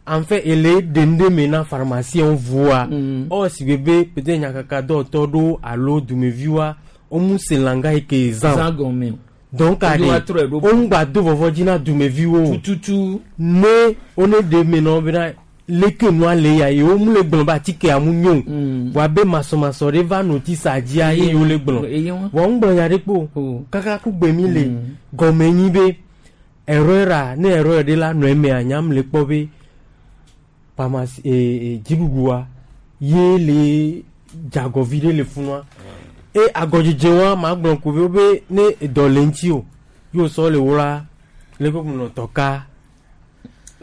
en fait ele ɖe nu ɖe me na pharmacien voa ɔ si be be peut-être nyakaka dɔwɔtɔ ɖo alo dumeviwoa womu se langa yi ke zã Zã gɔme o. donc Wodo aɖe wa trɔe ɖo. woŋu gba do vɔvɔ dzi na dumeviwo tututu ne wo ne ɖe me na wo bena leke nua le ya yewo mu le gblɔ be atikea mu nyo voa be masɔmasɔ ɖe va notice dzia ye yewo le gblɔ Eye wa. voa ŋu gblɔ nya ɖe kpo kaka ku gbe mi le gɔme nyi be erreur a ne erreur ɖe la nɔ emea nyam le kpɔ be pharmacie dziɖuɖua ye le dzagɔvi ɖe le funua e agɔdzedze wa ma gblɔ ko be wo be ne edɔ le ŋuti o ye wosɔ le wla le ko nɔ tɔka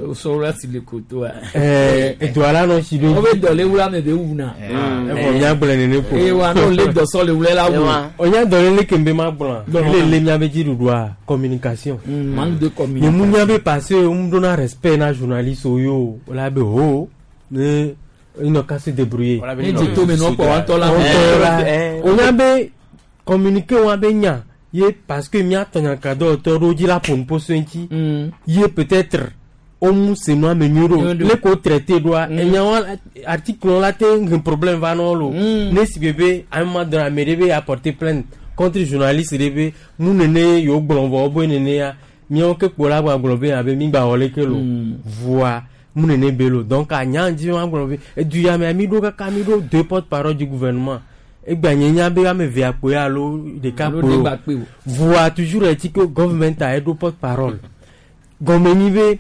Sɔrɔ si le koto a. Edɔ la nɔ si ɖo Wo be dɔ le wula me be wuna. Evɔ miagblɔe nene ko. Eye wa n'o le dɔ sɔ le wula la wu. Onya dɔ le leke be ma gblɔa. Gblɔ. Le le miabe dziɖuɖua communication. Manque de communication. Nye mu nya be parce que mu dona respect na journaliste wo yo o la be ho ne ils n'ont qu'à se débrouiller. Ne dze to me nɔ kpɔ wa ŋutɔ la. Ŋutɔ la. Onya be communiquer wa be nya. Ye parce que míatɔ nyakadɔwɔtɔ ɖewo dzi la ƒo nu ƒo so eŋuti. Ye peut-être womu se nua me nyuie ɖo. Nyuie ɖo. Le ko traité ɖoa, enyawo article la te he problème va nɔ lo. Ne si be be ame ma dɔn ame ɖe be apporter plainte contre journaliste ɖe be nu nene yewo gblɔ vɔ wobe nene ya míawo ke kpo la gba gblɔ be abe mi gba wɔ leke lo. Voa mu nene be lo. Donc anya dzi wa gblɔ be edu ya mea mi ɖo kaka mi ɖo deux porte parole du gouvernement. Egba nye nya be ame evea kpoe alo ɖeka Alo kpoe ɖe o. gba kpe o. Voa toujours est-il que government a eɖo porte parole. Gɔme nyi be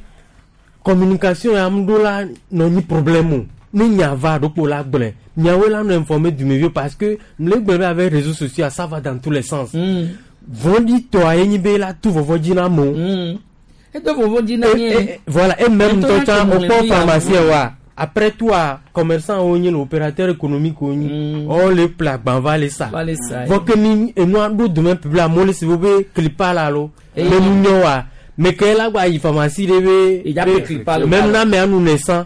communication ya ŋu ɖo la nɔ nyi problème o. Ne nya va ɖokpo la gblɔe. Miawoe la nɔ informer dumeviwo parce que le gblɔ be avec réseaux sociaux ça va dans tous les sens. Vɔ̃ɖitɔa ye nyi be la tu vɔvɔ dzi na amewo. Edo vɔvɔ dzi na Eh, nye. eh, voilà et même Ŋutɔ ŋutɔ na tsã ke wokpɔ ŋlɔ nu ya pharmacien ŋu. wa après toi commerçant wo nyi le opérateur économique wo nyi wo le ƒle agba va le sa Va le sa, vɔ ke mi enua ɖo domaine public amewo le si wo be clipa la lo Eh. me nu nyɔ wa me ke la gba yi pharmacie ɖe be Edza ƒe clipa lo. même na amea nu ne sã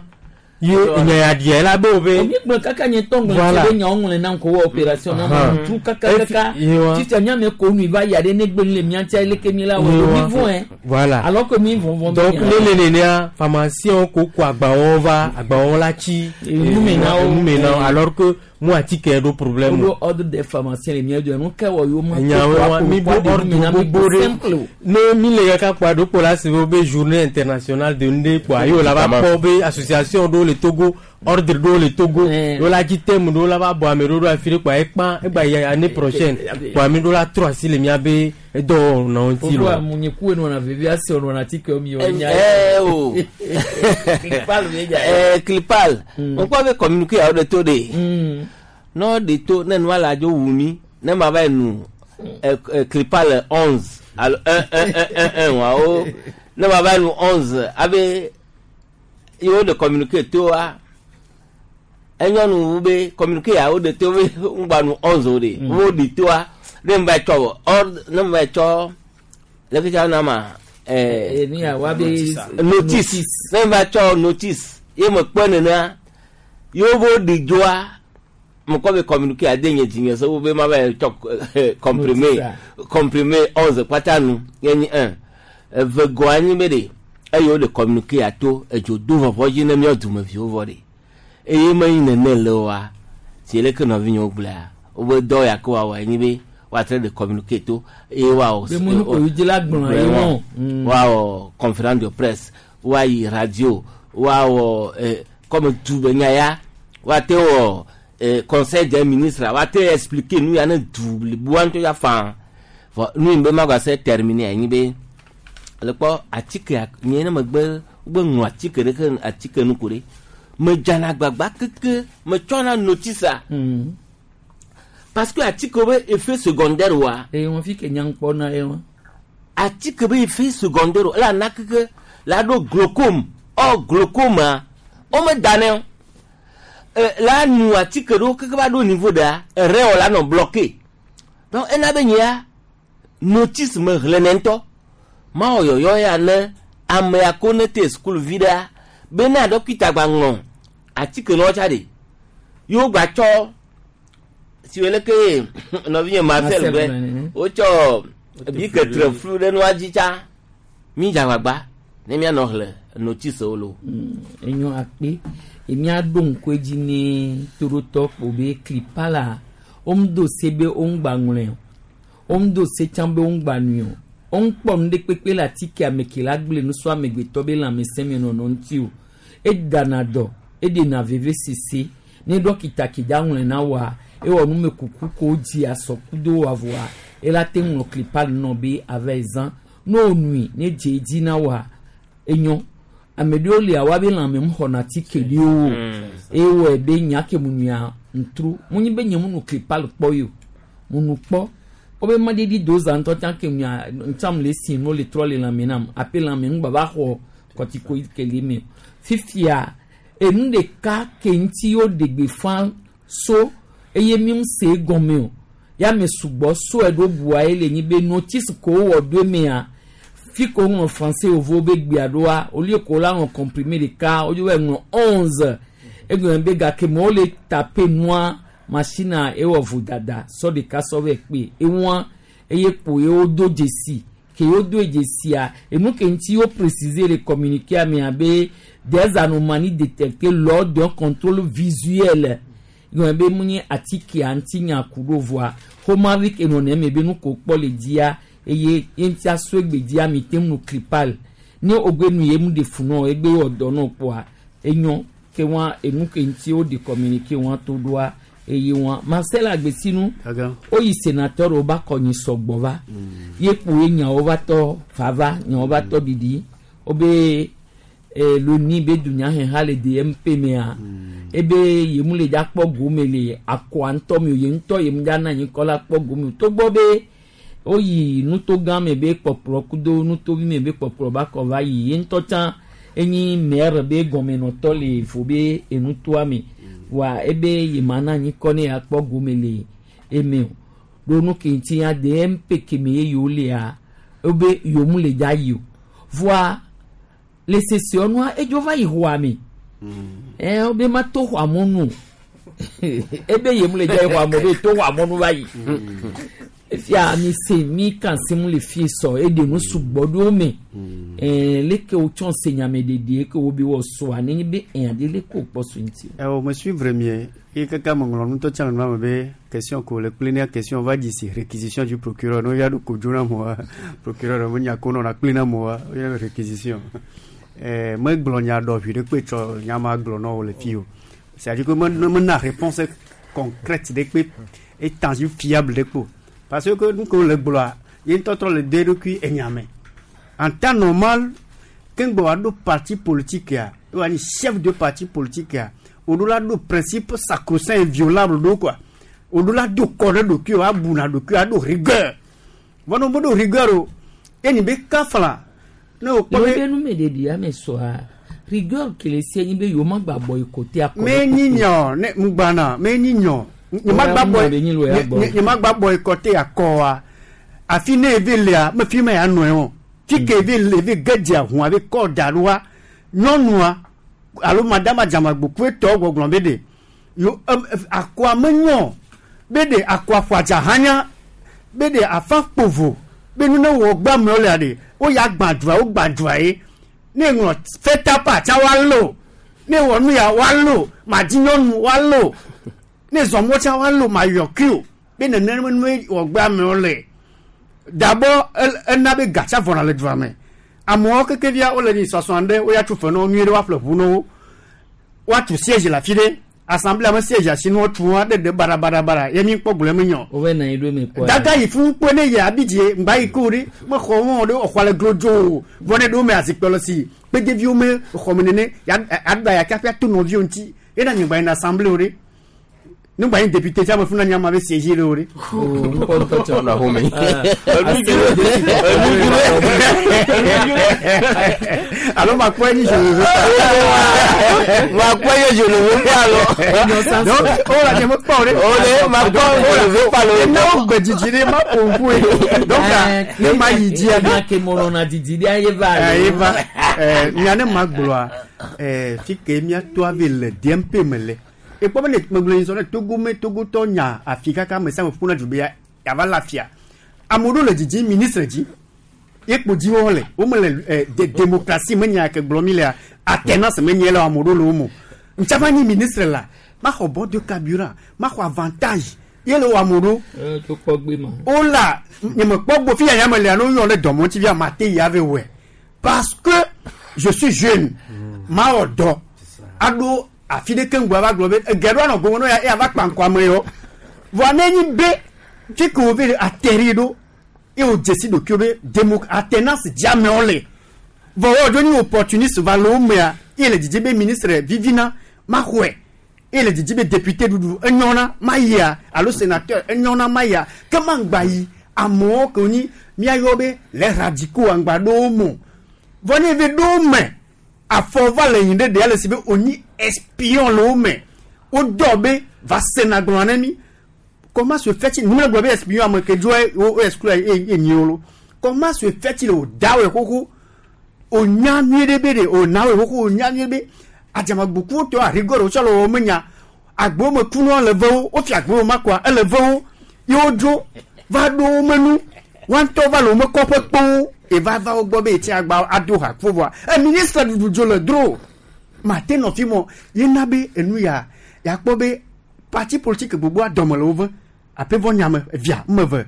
ye enya ya ɖia ela be wo be Mi gblɔ kaka nye tɔ ŋlɔ Voilà. tse be nyawo ŋlɔ nam ko wɔ opération na Ahan. ma tu kaka Efi- kaka. Yewa. Fifia nyame ko nu va ya ɖe ne gbe nu le mía ŋutia leke mi la wɔ Yewa. mi vɔn ɛ. Voilà. Alors que mi vɔn vɔn. donc ne le nenea pharmacien ko ko agbawo va agbawo la tsi Enume na wo. enume na wo alors que mu atike ɖo problème o. Wòɖo ordre des pharmaciens le mía do nu ke wɔ yewo ma. Nyawo wa mi ɖo ordre gbogbo ɖe ne mi le kaka kpoa ɖo kpo la se be be journée internationale de nu ɖe kpoa ye wo la va kpɔ be association ɖewo le Togo ordre ɖewo le Togo wo la dzi thème ɖewo la va bɔ ame ɖewo ɖo afi ɖe kpoa ekpã egba yi année prochaine kpoa mi ɖo la trɔ asi le miabe edɔwɔnawo ŋuti Fofo lo. amunye ku enɔna vevi ase ɔnɔna atike mi wɔ nya. Eh, o. Clipal mi dza. Eh, clipal ŋkpɔ be communiqué yawo ɖe to ɖe ne ɖe to ne nua le adzo wu mi ne ma va yi nu eh, eh, clipal 11 alo 1 1 1 1 1 wawo ne ma va yi nu 11 abe yewo ɖe communiqué toa enyɔnu wu be communiqué yawo ɖe to be ŋgba nu 11 o ɖe wo ɖe toa ne ma va yi tsɔ ordre ne ma va yi tsɔ leke tsa na ma eh, Eh, ni ya wa be notice ne va tsɔ notice ye me kpɔ nenea yewo bo ɖi dzoa me kɔ be communiqué ade nye dzinye se wo be ma va yi tsɔ eh, comprimé Notice comprimé 11 kpata nu ye nyi un eve gɔ anyi be ɖe eye wo ɖe communiqué ato edzo do vɔvɔ dzi ne míawo dumeviwo vɔ ɖe eye menyi nene le oa si leke nɔvinyewo gblɔa wobe dɔ ya ke woawɔ enyi be woatre ɖe communiqué to eye woawɔ Be mu nu ko yi dzi la gblɔ ye Vraiment. wɔn. Woawɔ conférence de presse woayi radio woawɔ eh, comme du be nya ya woate wɔ eh, conseil des ministres woate expliquer nu ya ne du bliboa ŋutɔ ya faa vɔ nu yi be ma gba se terminer anyi be le kpɔ atike nye ne megbe wogbe ŋlɔ atike ɖeke atike nu ko ɖe medzana gbagba keke metsɔna notice a parce que atike be effet secondaire wa Eye wɔn fi ke nya ŋkpɔ na ye wɔn. atike be effet secondaire o la na keke la ɖo glaucome ɔ glaucome wome da nɛ o e, la nu atike ɖewo keke va ɖo niveau ɖea rein o la nɔ bloqué donc ena be nyea notice me xlẽnɛ ŋutɔ mawɔ yɔyɔ ya ne amea ko ne te sukuvi ɖea be ne ɖɔkita gba ŋlɔ atike nɔ tsa ɖe yewo gba tsɔ si wo leke nɔvinye Marcel Marcel gblɔe gblɔe nene. wotsɔ bi ketre flu ɖe nua dzi tsa mi dze agbagba ne mianɔ xlẽ notice wo lo. Enyo akpe emia ɖo ŋku edzi ne toɖotɔ kpo be klipa la woŋdo se be woŋgba ŋlɔe o woŋdo se tsã be woŋgba nui o woŋkpɔ nu ɖe kpekpe le atike ame ke la gblẽ nu so amegbetɔ be lãmesẽ me nɔnɔ ŋuti o edana dɔ eɖena veve sese ne ɖɔkita ke dza ŋlɔe na woa ewɔ numekuku ko dzi asɔkudo wa voa ela te ŋlɔ klipa nɔ be ava zã ne wonui ne dze edzi na woa enyo ame ɖewo lia woabe lãme mu xɔna atike ɖewo o eye wɔe be nya ke mu nua ŋutru mu nyi be nye mu nu klipa le kpɔ yi o mu nu kpɔ wobe maɖiɖi do zã ŋutɔ tsã ke nua ŋtsam le esi nu le trɔ le lãme nam ape lãme ŋu gbava xɔ kɔtiko ke le eme o fifia enu ɖeka ke ŋuti wo ɖe gbeƒã so eye mi ŋu se egɔme o ya me sugbɔ so eɖo bua ye le nyi be notice ko wowɔ ɖo emea fi ko ŋlɔ français yovo be gbea ɖoa olie ko la ŋlɔ comprimé ɖeka wodzo va ŋlɔ 11 egblɔ be gake me wole tape nua machine ewɔ vodada sɔ ɖeka sɔ vɛ kpe eŋua Eye kpo ye wodo dzesi ke wodo dzesia enu ke ŋuti wo préciser le communiqué mea be des anomalies détectées lors d'un contrôle visuel yɔn be mu nye atikea ŋuti nya ku ɖo voa xomavi ke nɔ neme be nu ko kpɔ le dzia eye ye ŋuti aso egbe dzia mi te nu clipal ne wogbe nu ye mu de fu nɔ egbe wɔ dɔ nɔ kpoa enyɔ ke wa enu ke ŋuti wo de communiqué wa to ɖoa eye wa Marcel Agbesinu woyi sénateur wo ba kɔ nyi sɔgbɔ va ye kpo ye nyawo va tɔ vava nyawo va tɔ ɖiɖi wobe loni be dunyaheha le DMP mea ebe yemu le dza kpɔ gome le akɔa ŋutɔ me o ye ŋutɔ yemu dza na anyi kɔ la kpɔ gome o togbɔ be woyi nuto gã me be kpɔkplɔ kudo nutovi me be kpɔkplɔ ba kɔ va yi ye ŋutɔ tsã enyi maire be gɔmenɔtɔ le vo be enutoa me wa ebe yema na anyi kɔ ne yakpɔ gome le eme o ɖo nu ke ŋuti ya DMP keme ye yewo lea ebe yewo mu le dza yi o voa le sese nua edzo va yi xɔa me ɛ wobe ma to xɔa mɔnu o ebe yemu le dza yi xɔa me be to xɔa mɔnu va yi efia mi se mi kan se mu le fie sɔ eɖe nu sugbɔ ɖo me ɛɛ leke wotsɔ se nyame ɖeɖe ke wo be wɔ sɔa nenye be ɛyà de leke wokpɔ so ŋuti. Ɛ me suivre mie ye kaka me ŋlɔ nutɔ tsã le nua me be question ko le kple nea question va dzi si réquisition du procureur no ya ɖo kodzo na moa procureur me nya ko nɔna kple na moa ye réquisition ɛɛ megblɔ nya ɖɔ vi ɖe kpe tsɔ nya ma gblɔ na wo le fi o c'est à dire que me mena réponse concrète ɖe kpe étendue fiable ɖe kpo parce que nu ke le gblɔa ye ŋutɔ trɔ le de eɖokui enya me en temps normal keŋgbɔ wa ɖo parti politique ya wa nyi chef de parti politique ya o ɖo la ɖo principe sacrosaint inviolable ɖo quoi o ɖo la do kɔ ɖe ɖokui o abuna ɖokui aɖo rigueur vɔ ne wo ɖo rigueur o eni be kafla ne o kpɔ be. be le nu me ɖeɖi ame sɔa rigueur kele sie nyi be yewo ma gba bɔ yi kote akɔ. me nyi nyɔ ne ŋugbana me nyi nyɔ nye ma gba bɔ nye ma gba bɔ yi kɔte akɔ wa afi ne eve lea me fi ma ya nɔe o fi ke eve le eve gedze ahun ave kɔ da ɖoa nyɔnua alo madama dzamagbo tɔ gbɔgblɔ be de yo akɔa me nyɔ be de akɔa ƒo adza hanya be de afa kpovo be nu ne wɔ gba me lea de wo ya gbã dua wo gbã dua ye ne ŋlɔ fɛtapa tsa wa lo ne wɔ nu ya wa lo ma di nyɔnu wa lo ne zɔmɔ tsa wa lo ma yɔ kio be nene nu wɔ gba me le d'abord ena be gatsa vɔna le dua me amewo keke via wole nyi sɔsɔ ɖe woya tso fe na wo nyuie ɖe woaƒle ʋu na wo woatu siège le afi ɖe assemblée ame siège asi ne wotu wa ɖe ɖe barabarabara ye mi kpɔ gblɔ eme nyɔ. wove na yi ɖo eme kpɔ. Dada yi fún kpɔ ne yi abidie ŋgba yi ko ɖe me xɔ wɔn ɖe xɔ le glodzo o vɔ ne ɖewo me azikpɛ le si kpedeviwo me xɔ me nene ya aɖa ya kaƒia to nɔviwo ŋuti ena nye gba yi na assemblée o ɖe ne gba yi député tsa me fún na nye ama be siège ɖe o ɖe. Alo ma kpɔ enyi je le veux pas. Ma kpɔ enyi je le veux pas alors. Donc o la nye me kpɔ o ɖe. O ɖe ma kpɔ je le veux pas le. Ne wo gbe dzidzi ɖe ma ƒo ŋku ye. Donc ne ma yi dzia. Ne ke mɔlɔna didi ɖe ye va. Ye va. Nya ne ma gblɔa fi ke míato ave le DMP me le. Ekpɔ be ne megblɔ yi sɔ ne Togo me Togotɔ nya afi kaka ame sia ame ƒuna du be yava le afia. Ame ɖewo le dzidzi ministre dzi. Ye kpo dzi wo le. Wo me le démocratie me nya ke gblɔ mi lea alternance me nye le ame ɖewo le wo me. Ŋtsama nyi ministre la ma xɔ bord de carburant ma xɔ avantage ye le wɔ ame ɖewo. To kpɔ gbe ma. O la nye me kpɔ gbo fi ya nya me lea ne woyɔ ɖe dɔmɔ ŋuti via ma te yi ave wɔe parce que je suis jeune ma wɔ dɔ aɖo afi ɖeke ŋgbɔ ava gblɔ be ege ɖo anɔ gome no ya ava kpa ŋkɔ ame yɔ vɔa ne nyi be fi ke wo ve atterri ɖo ye wo dzesi ɖokuiwo be démo alternance dzi amewo le vɔ wo ɖo nyi opportuniste va le wo mea ye le dzidzi be ministre vivina ma xɔe ye le dzidzi be député ɖuɖu enyɔna ma yia alo sénateur enyɔna ma yia ke ma ŋgba yi amewo ke wonyi míayɔ be les radicaux aŋgba ɖo wo me vɔ ne eve ɖo wo me afɔ va le yin ɖe ɖe ale si be wonyi espion le wo me wodɔ be va sena gblɔ ne mi comment se fait-il nous gblɔ be espion ame ke dzo wo exclure ye nyi wo lo comment se fait-il o da wo xoxo o nya nyuie ɖe be ɖe o na wo xoxo o nya nyuie be adzamagbokuwo tɔ arigɔrɔ wotsɔ le wo me nya agbowo me kunua le ve wo wofia agbowo ma koa ele ve wo ye wodzo va ɖo wo me nu Wa ŋutɔ va le wo me kɔƒe kpowo eva va wo gbɔ be yetsi agba ado ha kpo vɔa e ministre ɖuɖu dzo le dro mate nɔ fi mɔ ye na be enu ya yakpɔ be parti politique gbogbo adɔme le wo ve aƒe vɔ nyame via meve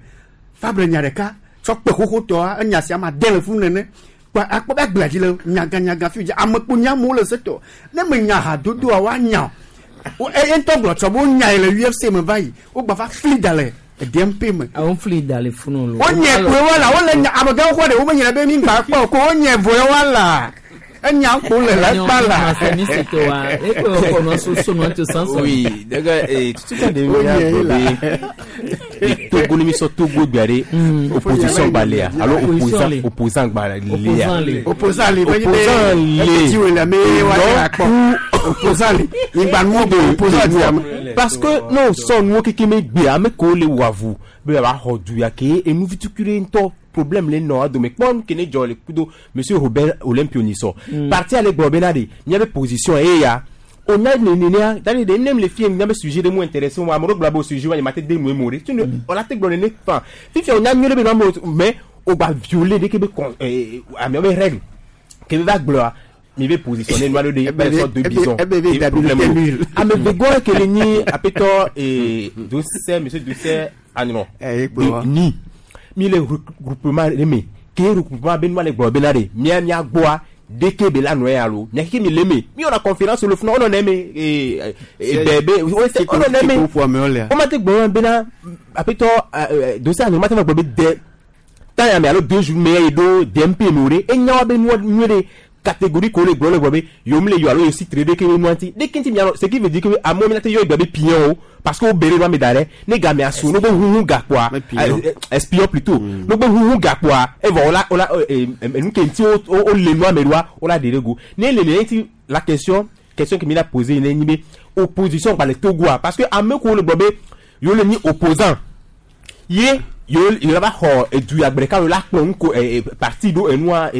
fabre nya ɖeka tsɔ kpe xoxotɔa enya sia ma de le funu nene kpa akpɔ be agblea dzi le nyaganyaga fi dzi ame kpo nya amewo le setɔ ne me nya hadodoa woanya o eye ŋutɔ gblɔ tsɔ be wonya yi le UFC me va yi wogba va fli da le DMP me. Àwọn fli da le funu lo. Wonye koe wala wole nya amegãwo xɔ ɖe womenya be mi gba kpɔ o ko wonye vɔe wala enya kpo le la kpa la. Oui, d'accord. Et tout ça de be Togo ni mi sɔ Togo gbea ɖe opposition gba lea alo opposant opposant gba lea. Opposant le Opposant le. Ti wele me wa ya kpɔ. Opposant le. Igba nu be opposant di ame. Parce que n'o sɔ nuwo keke me gbe ame kewo le wɔ avu be yeava xɔ du ya ke enu vitukui ɖe ŋutɔ problème le nɔ adome kpɔ nu ke ne dzɔ le kudo monsieur Robert Olympio Nisɔ. Parti ale gblɔ bena ɖe míabe position eye ya onya nenenea dani ɖe nem le fie míabe sujet ɖe mu intéressé wa ame ɖewo gblɔ be o sujet wa nye ma te de nu eme o ɖe tu ne wòla te gblɔ nene fan fifia onya nyuie ɖe be nɔ amewo mais o gba violer ɖeke be con amewo be règle ke be va gblɔa mi be positionner nua ɖe ɖe be sɔ deux bisons ebe problème be o ame vegɔ ke le nyi aƒetɔ Dosseh monsieur Dosseh Agnon kpe ni mi le regroupement ɖe me ke regroupement be nua le gblɔ bena ɖe mía mía gbɔa deke be la nɔ ya lo mía keke mi le me mi wɔna conférence le funa wonɔ ne me bɛ be wonɔ ne me wo ma te gblɔ bena aƒetɔ Dosseh Agnon ma te va gblɔ be de temps ya me alo deux jours me ye ɖo DMP me o ɖe enya wa be nua nyuie ɖe catégorie ko le gblɔ le gblɔ be yom le yɔ alo yosi tre ɖeke be nua ŋuti ɖeke ŋuti mianɔ ce qui veut dire que amewo mi la te yɔ egbe be pion o parce que wo be ɖe nua me da ɖe ne game asu no be huhu gakpoa espion plutôt no be huhu gakpoa evɔ wola wola enu ke ŋuti wo wo le nua me ɖoa wola ɖe ɖe go ne le le ŋuti la question question que mi la poser ne nyi be opposition gba le Togoa parce que ame kewo le gblɔ be yewo le nyi opposant ye yewo yewo la va xɔ edu ya gbe ɖeka yewo la kplɔ nuko parti ɖo enua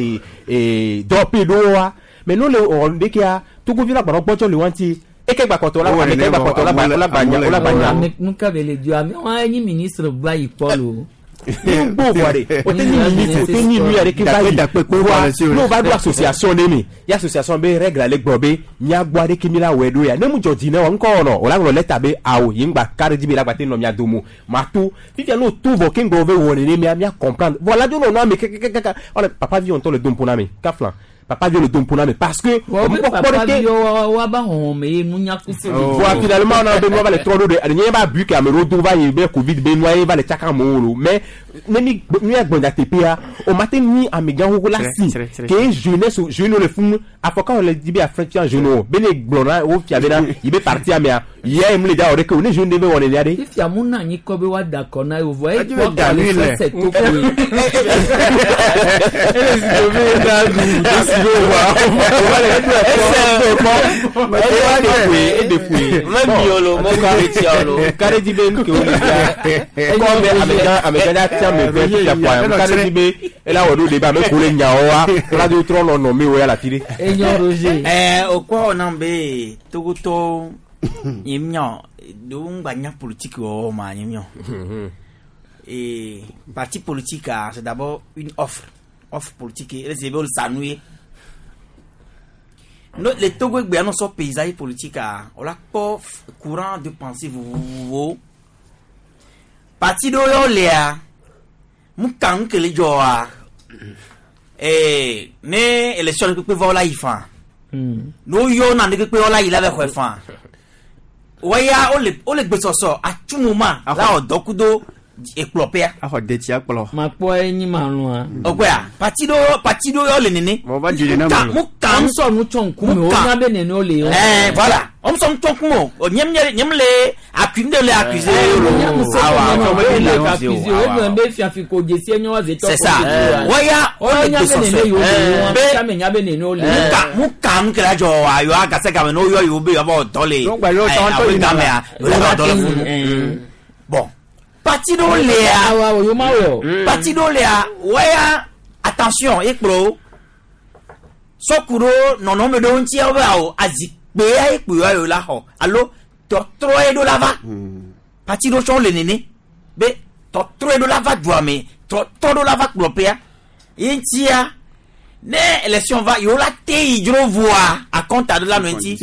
dɔwɔƒe ɖowoa mais ne wole wɔ ɖekea Togovi la gbanɔ gbɔdzɔ le wa ŋuti eke gbakɔtɔ la ame ke gbakɔtɔ la gba la gba nya la gba nya. Nuka be le dio ame wa nyi ministre va yi kpɔ lo. Gbogbo vɔ ɖe o te nyi ministre o te nyi nu ya ɖeke va yi voa n'o va ɖo association ɖe me ye association be règle ale gblɔ be miagbɔ aɖeke mi la wɔe ɖo ya ne mu dzɔ dzi ne wa ŋkɔ wɔnɔ o la ŋlɔ lɛta be awo yi ŋgba ka ɖe dzi be la gba te nɔ mia dome o ma to fifia n'o to vɔ ke ŋgɔ ve wɔ nene mia mia comprendre vɔ la dzo nɔ nɔ ame kekekeke ɔlɛ papa vi ŋutɔ le dom ƒo na me kafla papa vi le dom ƒo na me parce que Wa be mɔkpɔkpɔ papa ɖeke vi wa wa ba hɔn me ye nunya kusi. Voa finalement on a be nua va le trɔ ɖo ɖe nye ba bu ke ame ɖewo do va yi be covid be nua ye va le tsaka amewo lo mais ne mi nu ya gbɔdza teƒea o ma te nyi amegã xoxo la si ke jeunesse jeune le funu afɔ ka wòle di be afɔ fia jeune o be ne gblɔ na wo fia bena yi be parti amea yia ye mu le dza wɔ ɖeke o ne jeune ɖe be wɔ nenea ɖe. Fifia mu na anyi kɔ be wa da kɔ na ye o vɔ e Edi be kpɔ da kɔ le nui le. fɛsɛ to koe. Ele si do be na du do si do wa o va le eɖo ɛkpɔ ɛkpɔ eɖe ƒoe ka ɖe dzi be nu ke wo le fia kɔ be amegã amegã ɖe ati ame eve fia kɔa ka ɖe dzi be ela wɔ ɖo ɖe be ame ko le nyawo wa la do trɔ nɔ nɔ mi wo ya le afi ɖe. Enyo Roger. Okɔ wɔna be Togotɔwo nye miɔ ɖewo ŋgba nya politique wɔwɔ ma nye miɔ. Et parti politique ah, c'est d'abord une offre offre politique ele se be wole sa nu ye. No, le Togo egbea no sɔ paysage politique ah, wola kpɔ courant de pensée vovovowo. Parti ɖewo ya wolea, mu ka nu ke le dzɔa, ne élection ɖe kpekpe va wola yi fã. Ne woyɔ na ne kpekpe wola yi la va xɔe fã. Wɔya wole wole gbesɔsɔ atu ma la wɔ dɔ kudo ekplɔƒea. Axɔ detsi akplɔ. Ma kpɔ enyi ma lɔa. Ɔgbɛa parti ɖewo parti ɖewo ya wole nene. Mɔ va dzi nene Mu ka me. mu ka Mu sɔ nu tsɔ ŋkume o nya be nene o le. Voilà. On s'en tient compte. Nyem nyem nyem le accusé le accusé. Nya mu se Awa, ko awa, be le awa, ka accusé o awa. e be fiafi ko dzesi enyo wa zetɔ. C'est ça. Wɔya O wole nya be gbesɔsɔ. nene yo le wa Be ame nya be nene o le. mu ka mu ka nu kɛra jɔ wa yɔ agase game n'o yɔ yewo be yɔ bɔ dɔ le. Donc, ba yɔ tɔn tɔ awo yi na gamea la. yɔ bɔ dɔ le funu. Bon parti ɖewo lea. Awa o yo ma wɔ. Parti ɖewo lea wɔya attention ekplɔ sɔku ɖo nɔnɔme ɖewo ŋuti wo be awo azikpe ya ekpo ya yewo la xɔ alo tɔtrɔ ye ɖo la va. Parti ɖewo tsɔ le nene be tɔtrɔ ye ɖo la va dua me Trɔ tɔ ɖo la va kplɔƒea. Ye ŋutia ne élection va yewo la te yi dzro voa akɔnta ɖo la nɔ ŋuti.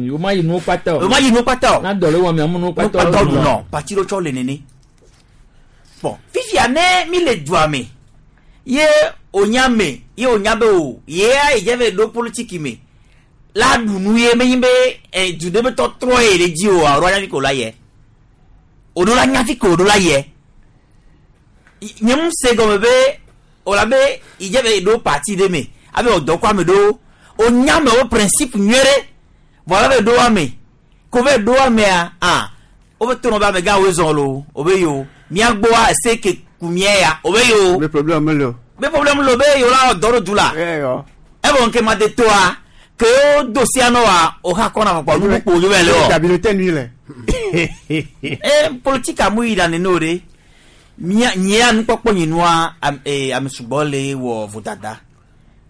Yewo ma yi nuwo kpata o. Yewo ma yi nuwo kpata o. Na dɔ le wɔm amu nuwo kpata o. Nuwo kpata o nɔ parti ɖo tsɔ le nene. Bon fifia ne mi le dua me ye o nya me ye o nya be o yea yi dze ve ɖo politiki me la ɖu nu ye menyi be du ɖe be tɔtrɔ ye le dzi o alo anya fi ko la yɛ o ɖo la nya fi ko o ɖo la yɛ nye ŋu se gɔme be o la be yi dze ve ɖo parti ɖe me abe o dɔ kɔ ame ɖewo o nya me wo principe nyuie ɖe vɔ la ve ɖo ame ko ve ɖo amea ah wo be to nɔ be amegã woe zɔn lo o be yo mía gbɔa ese ke ku mía ya o be yo. Be problème mele o. Be problème le o be yo la wɔ dɔ ɖo du la. Evɔ nke ma de toa ke wo do sia nɔ wa o ha kɔna kpɔ nu kpo yo bɛ le wɔ. Stabilité nui le. E politique amu yi la nene o de mía nyea nukpɔkpɔ nyinua ame sugbɔ le wɔ vodada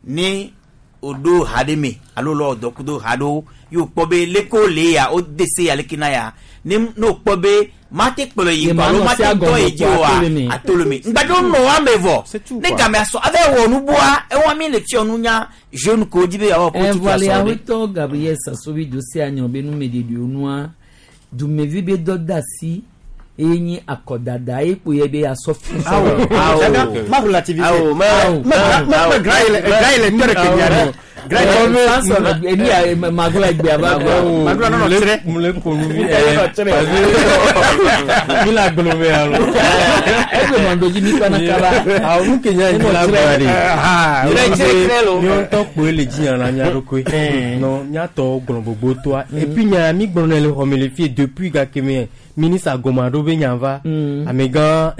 ne o ɖo ha ɖe me alo lɔ dɔ kudo ha ɖewo ye o kpɔ be leke le ya o de se ya leke na ya ne o kpɔ be mate kplɔ yi kɔ alo mate tɔ yi dzi oa ato le me ŋgbadze nɔ wa me vɔ ne game asɔ ave wɔ nubua ewa mi le fiɔ nunya jeune ko dzi be yeawɔ politique asɔ ɖe. Evɔli awetɔ Gabriel Sasovi do se anyɔ be numeɖeɖewo nua dumevi be dɔ da asi eye nyi akɔdada ye kpo ye be asɔ fi. Awo awo ma relativiser. Awo ma ma grand il grand il est tɔ de Kenya de. Eni ya magla egbe aba. Magla nɔnɔ tirɛ. Mule konu mi parce que mi la gblɔ me alo. Egbe mando dzi mi kpana kaba. Awo nu Kenya yi la gblɔ de. Tirɛ tirɛ tirɛ lo. Mi ŋutɔ kpoe le dzi na mía ɖokui. Nɔ míatɔ gblɔ gbogbo toa. Et puis nya mi gblɔ ne le xɔme le fie depuis gake me ministre agoma ɖo be nya va. Amegã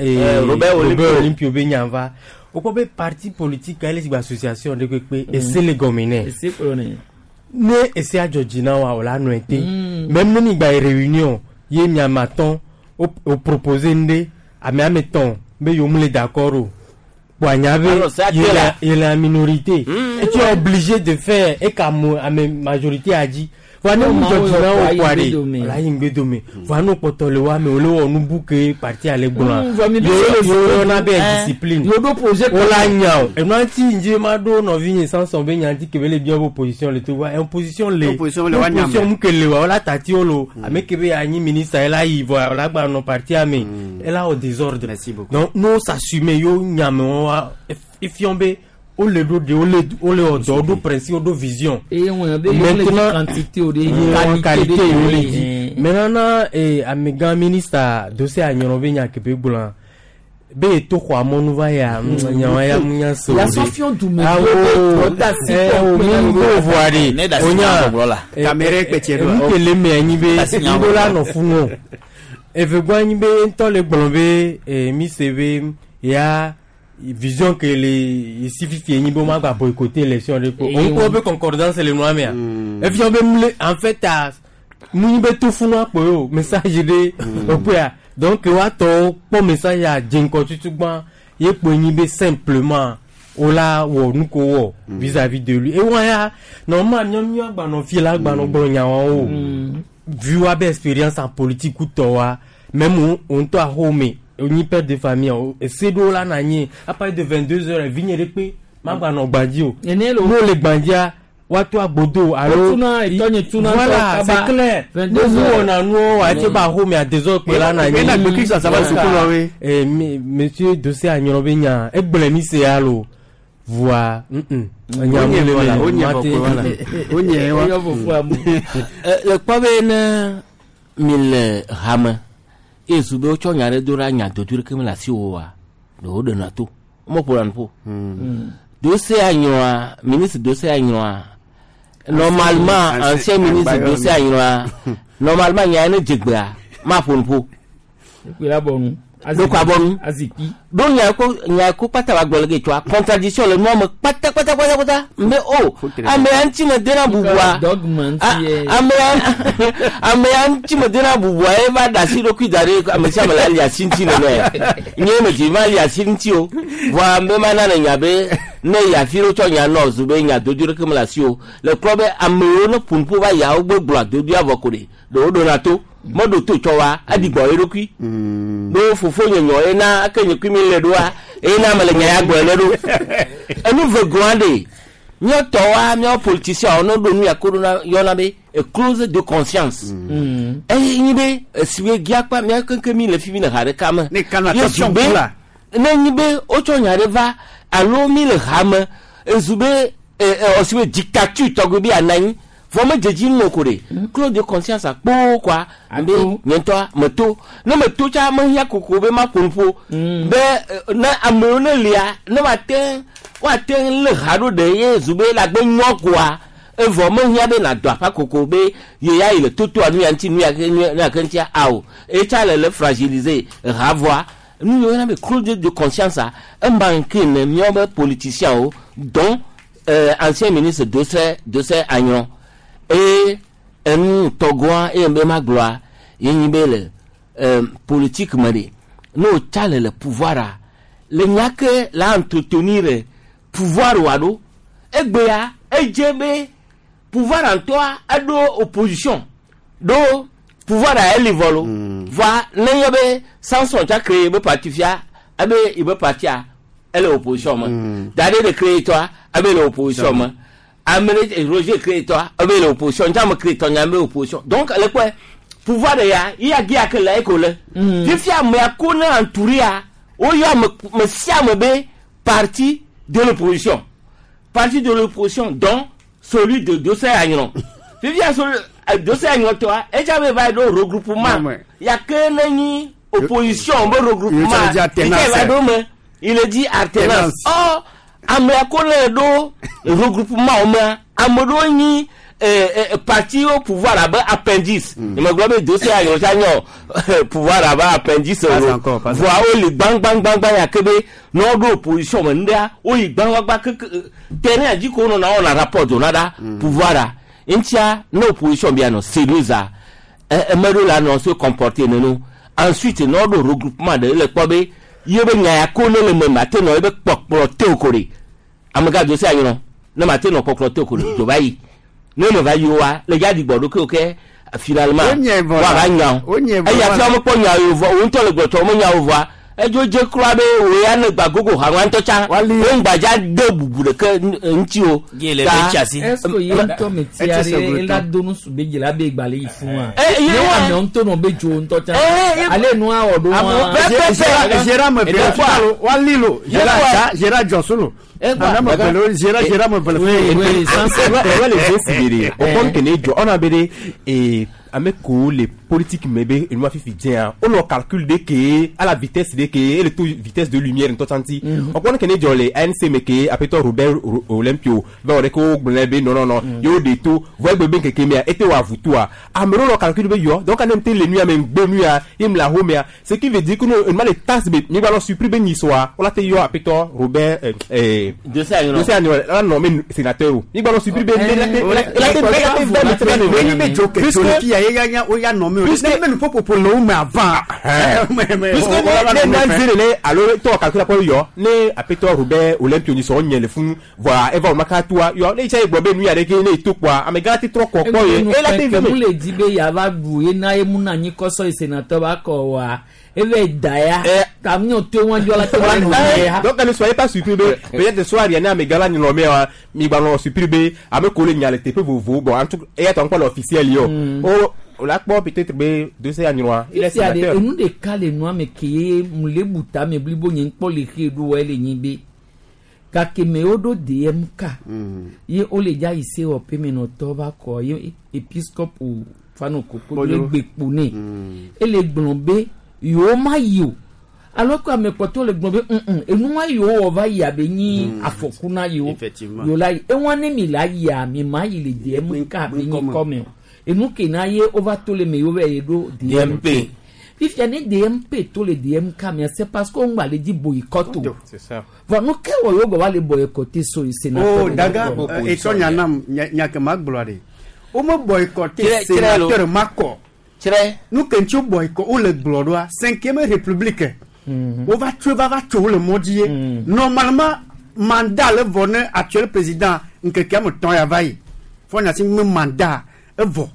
Robert Olympio be nya va. Wokpɔ be parti politique ele si gbe association ɖe kpekpe ese le gɔme nɛ. Ese kplɔ nɛ. Ne ese adzɔ dzi na wa o la nɔe te. Même ne mi gba yi réunion ye miame atɔ̃ o proposer nu ɖe ame ame tɔ̃ be yewo mu le d'accord o. Kpoa nya be ye la minorité. Et tu es obligé de faire e ka mo ame majorité a dzi. Voa ne mu dzɔ dzi na wo kpoa ɖe la yi ŋgbe dome. Voa ne kpɔtɔ le wa me wo le wɔ nu bu ke parti ale gblɔa. Yewo yɔna be discipline. Wo la nya o. Enua ŋuti ŋdzi ma ɖo nɔvinye Samson be nya ŋuti ke be le bia be opposition le Togo. Opposition le opposition le wa nya me. Opposition mu ke le wa wo la tati wo lo. Ame ke be anyi ministre ela yi vɔa wo la gba nɔ partia me. Ela wɔ désordre. Donc n'o s'assumer yo nya me wa efiɔ be o le ɖo de o le wɔ dɔ o ɖo principe o ɖo vision. Maintenant quantité o de qualité o le dzi. Maintenant na amegã ministre dossier anyɔrɔ be nya ke be gblɔa be eto xɔ amɔnu va ya nyawa ya mu nya se o de. Awo o mi bo voa de o nya nu ke le me anyi be ŋgo la nɔ funu o. Evegɔ anyi be ŋutɔ le gblɔ be mi se be ya. Vision que les ici fifi ni bo ma ba boycotter élection de ko on ko be concordance le noa mea et puis on be en fait à mu be tout funu apo yo message de opia donc wa to po message a jinko tutu gban ye po ni be simplement ola wo nu ko wo vis-à-vis de lui et wa ya normal nyom nyo agba no fi la agba no gbo nya won o vu wa be expérience en politique ou to wa même on to a home oni père de famille ese ɖo la na nyi à partir de 22 heures vinye ɖe kpe magba nɔ gbadzi o n'o le gbadzia woato agbodo alo voilà c'est clair nous wɔna nuwo ati ba xɔ mi a désordre kpe la na nyi monsieur dossier anyɔrɔ be nya egblẽ mi se ya lo voa nya mu le me mate le kpɔ be ne mi le hame yesu be wotsɔ nya ɖe do ɖa nya dodo ɖeke mele asi wo wa ɖewo ɖena to womeƒona nu ƒo dossier anyɔa ministre dossier anyɔa normalement ancien ministre dossier anyɔa normalement nya ne dzegbea maƒo nu ƒo ɖokɔ abɔnu ɖo nya ko kpata wa gblɔ le ke tsoa contradiction le nua me kpata kpata kpata kpata mbe o amea ŋuti me dena bubua amea ŋuti me dena bubua ye va da asi ɖokui da ɖe ame sia ame la li asi ŋuti nene nye me dzi ma li asi ŋuti o vɔa mbe ma na ne nya be ne yafi ɖo tsɔ nya nɔ zu be nya dodo ɖeke me le asi o le klɔ be amewo ne ƒo nuƒo va yawo gbe gblɔ adodoa vɔ ko ɖe ɖewo ɖona to. Meɖo to tsɔ wa eɖi gbɔ eɖokui. Ɖo fofo nye nyɔ ena eke nye kui mi le ɖoa ena me le nya ya gblɔ le ɖo. Enu ve gɔa ɖe míatɔ wa míawo politiciens ne ɖo nu ya ko ɖo na yɔna be a clause de conscience. Eye nyi be esiwe gia kpa mía keŋkeŋ mi le fi mi le ha ɖeka me. Ne kana Ye attention zu be kula. ne nyi be wotsɔ nya ɖe va alo mi le ha me ezu be ɛ ɔsiwe dictature tɔgbi bi ananyi vɔ me dzedzi nu ko ɖe clause de conscience akpo kɔa be nye ŋutɔ meto ne meto tsa mehiã koko be ma ƒo nuƒo be ne amewo ne lia ne woate woate lé ha ɖo ɖe ye zu be le agbe nyɔ koa evɔ mehiã be nàdɔ aƒa koko be ye ya yi le totoa nu ya ŋuti nu ya ke nu ya ke ŋutia awo etsa le le fragiliser ha vɔa nu yiwo yɔna be clause de conscience a ema nke ne míawo be politiciens wo dont ancien ministre Dosseh Dosseh Agnon eye enu tɔgɔa eye be ma gblɔa ye nyi be le politique me ɖe ne wotsa le le pouvoir a le nya ke la entretenir pouvoir wa ɖo egbea edze be pouvoir ŋutɔa eɖo opposition ɖo pouvoir a eli vɔ lo vɔa ne nye be Samson tsa créé be parti fia ebe yibe partia ele opposition me Dade de créé tɔa ebe le opposition me ame ɖe Roger créé tɔa ebe le opposition ntsa me créé tɔ nya be opposition donc le kpɔe pouvoir de ya ya gia ke le eko le fifia amea ko ne entouria woyɔ ame me sia ame be parti de l'opposition parti de l'opposition dont celui de Dosseh Agnon fifia celui Dosseh Agnon tɔa edza be va ɖo regroupement ya ke ne nyi opposition be regroupement Il dit alternance. yi ke va ɖo me il est dit alternance or amea ko ne ɖo regroupement wo mea ame ɖewo nyi parti au pouvoir abe appendice mm. Gblɔ be Dosseh Agnon tsa nyɔ pouvoir abe appendice Pas o encore, pas voa wo li gbangbangbangba ya ke be ne woɖo opposition me nuɖea woyi gbangbangba keke terrain dzi ko wonɔna wɔna rapport dona ɖa pouvoir a ŋutia ne opposition bia nɔ sérieuse a eme ɖewo la nɔ se comporter nene ensuite ne woɖo regroupement ɖe le kpɔ be ye be nya ya ko ne le me mate nɔ ye be kpɔkplɔ te o ko ɖe amegã Dosseh Agnon ne mate nɔ kpɔkplɔ te o ko ɖe dzo va yi ne me va yi wa le dza ɖigbɔ ɖo ke ke finalement Wonye vɔ la. wa va nya o Wonye vɔ eya la. fia mekpɔ nya o vɔ wo ŋutɔ le gbɔtɔ me nya o vɔa edzo dze kura be wo ya ne gba gogo ha ŋutɔ tsã wo ŋgbadza de bubu ɖeke ŋuti o Ye le be tsi asi. Est-ce que ye ŋutɔ me tia ɖe ela do nu su be dzi la be gbalẽ yi fún wa. Eh, ye Ne wa. ame ŋutɔ nɔ be dzo ŋutɔ tsã. Ale nua wɔ ɖo wa. Gérard me vele falo wali lo Gérard Gérard Johnson lo Ame me vele o Gérard Gérard me vele Oui, oui, ça, c'est- Ouais, les jeux sibéré. Au point que ne jɔ on a bere et ame ko les politiques me be enu afifi diɲɛ on leur calcule de ke à la vitesse de ke et le taux vitesse de lumière ntɔ santi. On kɔni ke ne jɔ le ANC me ke apetɔ Robert Olympio va wɔ de ko gblẽ be non non non yewo de to vɔ egbe be keke mea ete wɔ avutua ame ɖewo lɔ calcule be yɔ donc ane te le nu ya me ŋgbe nu ya ye me le aho mea ce qui veut dire que nous ma le tasse be mi gba lɔ surpris be nyisɔa wala te yɔ apetɔ Robert Dosseh Agnon Dosseh Agnon la nommé sénateur o mi gba lɔ surpris be Wonye be dzo ke dzo le fia ye ya nya o ya nɔ me o ne me nu ƒoƒoƒo le wo me avant. puisque ne ne na zere ne alo tɔ calcul akɔ yɔ ne apetɔ Robert Olympio nyisɔ nye le funu voa eva wo maka toa yɔ ne itsa ye gblɔ be nu ya ɖe ke ne eto kpoa amegã te trɔ kɔ kpɔ ye ela te Ke mu ve le di be yava ɖu ye na ye mu na anyi kɔsɔ yi sénateur ba kɔ wa eve da ya. Ta mi to wọn jɔ la te wa nɔ ya. donc ne soyez pas surpris be peut-être soir yana amegã la nyrɔ mea mi gba nɔ surpris be ame ko le nya le teƒe vovovo bon en tout cas eya tɔ ŋkɔ le officiel ye o o o la kpɔ peut-être be Dosseh Agnon il est Fifia de sénateur enu ɖeka le nua me ke ye mu le bu ta me blibo nye ŋkpɔ le xe ɖo wɔ ele nyi be gake me woɖo DMK ye wole dza yi se wɔƒe me nɔtɔ va kɔ ye episcope fano koko le gbe kpo nɛ ele gblɔ be yewo ma yi o alors que ame kpɔtɔwo le gblɔ be ŋ enua yewo wɔ va yia be nyi afɔku na yewo Effectivement. yewo la yi ewa ne mi la yia mi ma yi le DMK be nyi kɔme o enu ke na ye wova to le me yewo va yi ɖo DMP. fifia ne DMP to le DMK mea c'est parce que wongba le dzi boycott o c'est ça vɔ nu ke wɔ yewo gɔ va le boycotté so yi sénateur O daga etsɔ nya nam nya nya ke ma gblɔ ɖe. Wo me boycotté Tsrɛ- tsrɛ lo. sénateur ma kɔ. Tsrɛ. Nu ke ŋuti wo boycott wo le gblɔ ɖoa cinquième république. Wova tso va va tso wo le mɔ dzi ye. Normalement mandat le vɔ ne actuel président ŋkeke ame tɔn ya va yi. Fɔ nya si me mandat evɔ.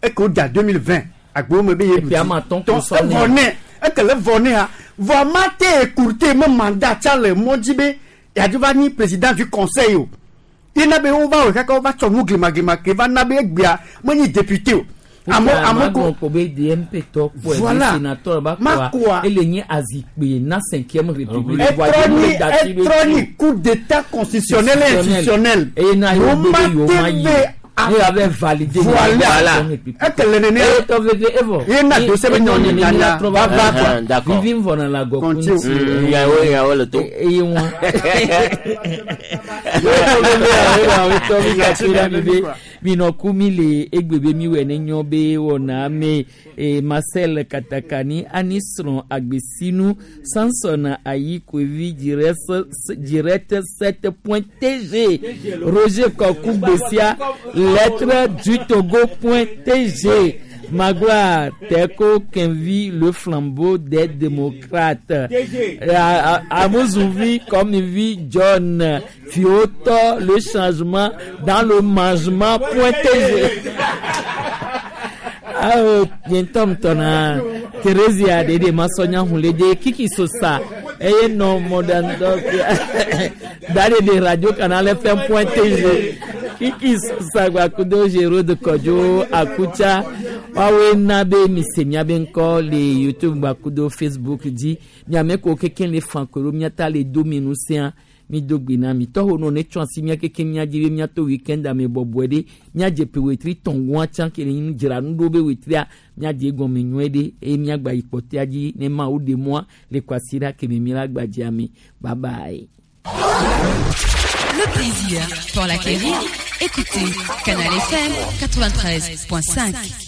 Eke wo da 2020 Agbo me be ye Eƒe ame atɔ̃ ko Donc, sɔ nɛ. evɔ nɛ ekele vɔ nɛ ha vɔ ma te écourter me mandat tsa le mɔ dzi be yadu va nyi président du conseil o yena be wova wɔ kaka wova tsɔ nu glimaglima ke va na be egbea menyi député o ame ame ko ko be DMP tɔ kpɔe Voilà. be sénateur ba Ma koa koa. ele nye azikpe na cinquième république etrɔ nyi coup d'état constitutionnel et institutionnel eye na yewo gbe be yewo ma yi a- ne yava validé Voilà. Ekele nene eye tɔ veve evɔ Ye na dossier be nyɔ nyanya va va quoi. D'accord. vivi vɔna la gɔ Continue. Yawo yawo le to. eye wa minɔku mi le egbe be mi wɔ ne nyɔ be wɔna me e marcel katakani ani srɔ̃ agbesinu samson ayi kovi direct sept point tg roger kɔku gbesia lettre du togo point tg Magloire Teko Kenvi, le flambeau des démocrates. Amouzoui, comme il vit John Fioto, le changement dans le mangement. Point TG. Awo, bientôt, tona. Thérésia, Dede, Masonia, Hulede, Kiki Sosa. Eye non, modern dog. Dade de Radio Canal FM point TG. Kiki Sosa, Gwakudo, Géraud Kodjo, Akucha. Wawe na be mise miabe ŋkɔ le YouTube gbakudo Facebook dzi. Miame ko keke le fankoro miata le do minu sea mi do gbe na mi tɔho nɔ ne tsɔ asi mia keke mia dzi be miato weekend ame bɔbɔe ɖe miadze pe wetri tɔngoa tsã ke le nu dzra nu ɖo be wetria miadze egɔme nyuie ɖe eye miagba yi kpɔtɔa dzi ne mawu ɖe mɔa le kwasiɖa keme mi la gbadzea me bye bye. Le plaisir pour l'acquérir. Écoutez Canal FM 93.5.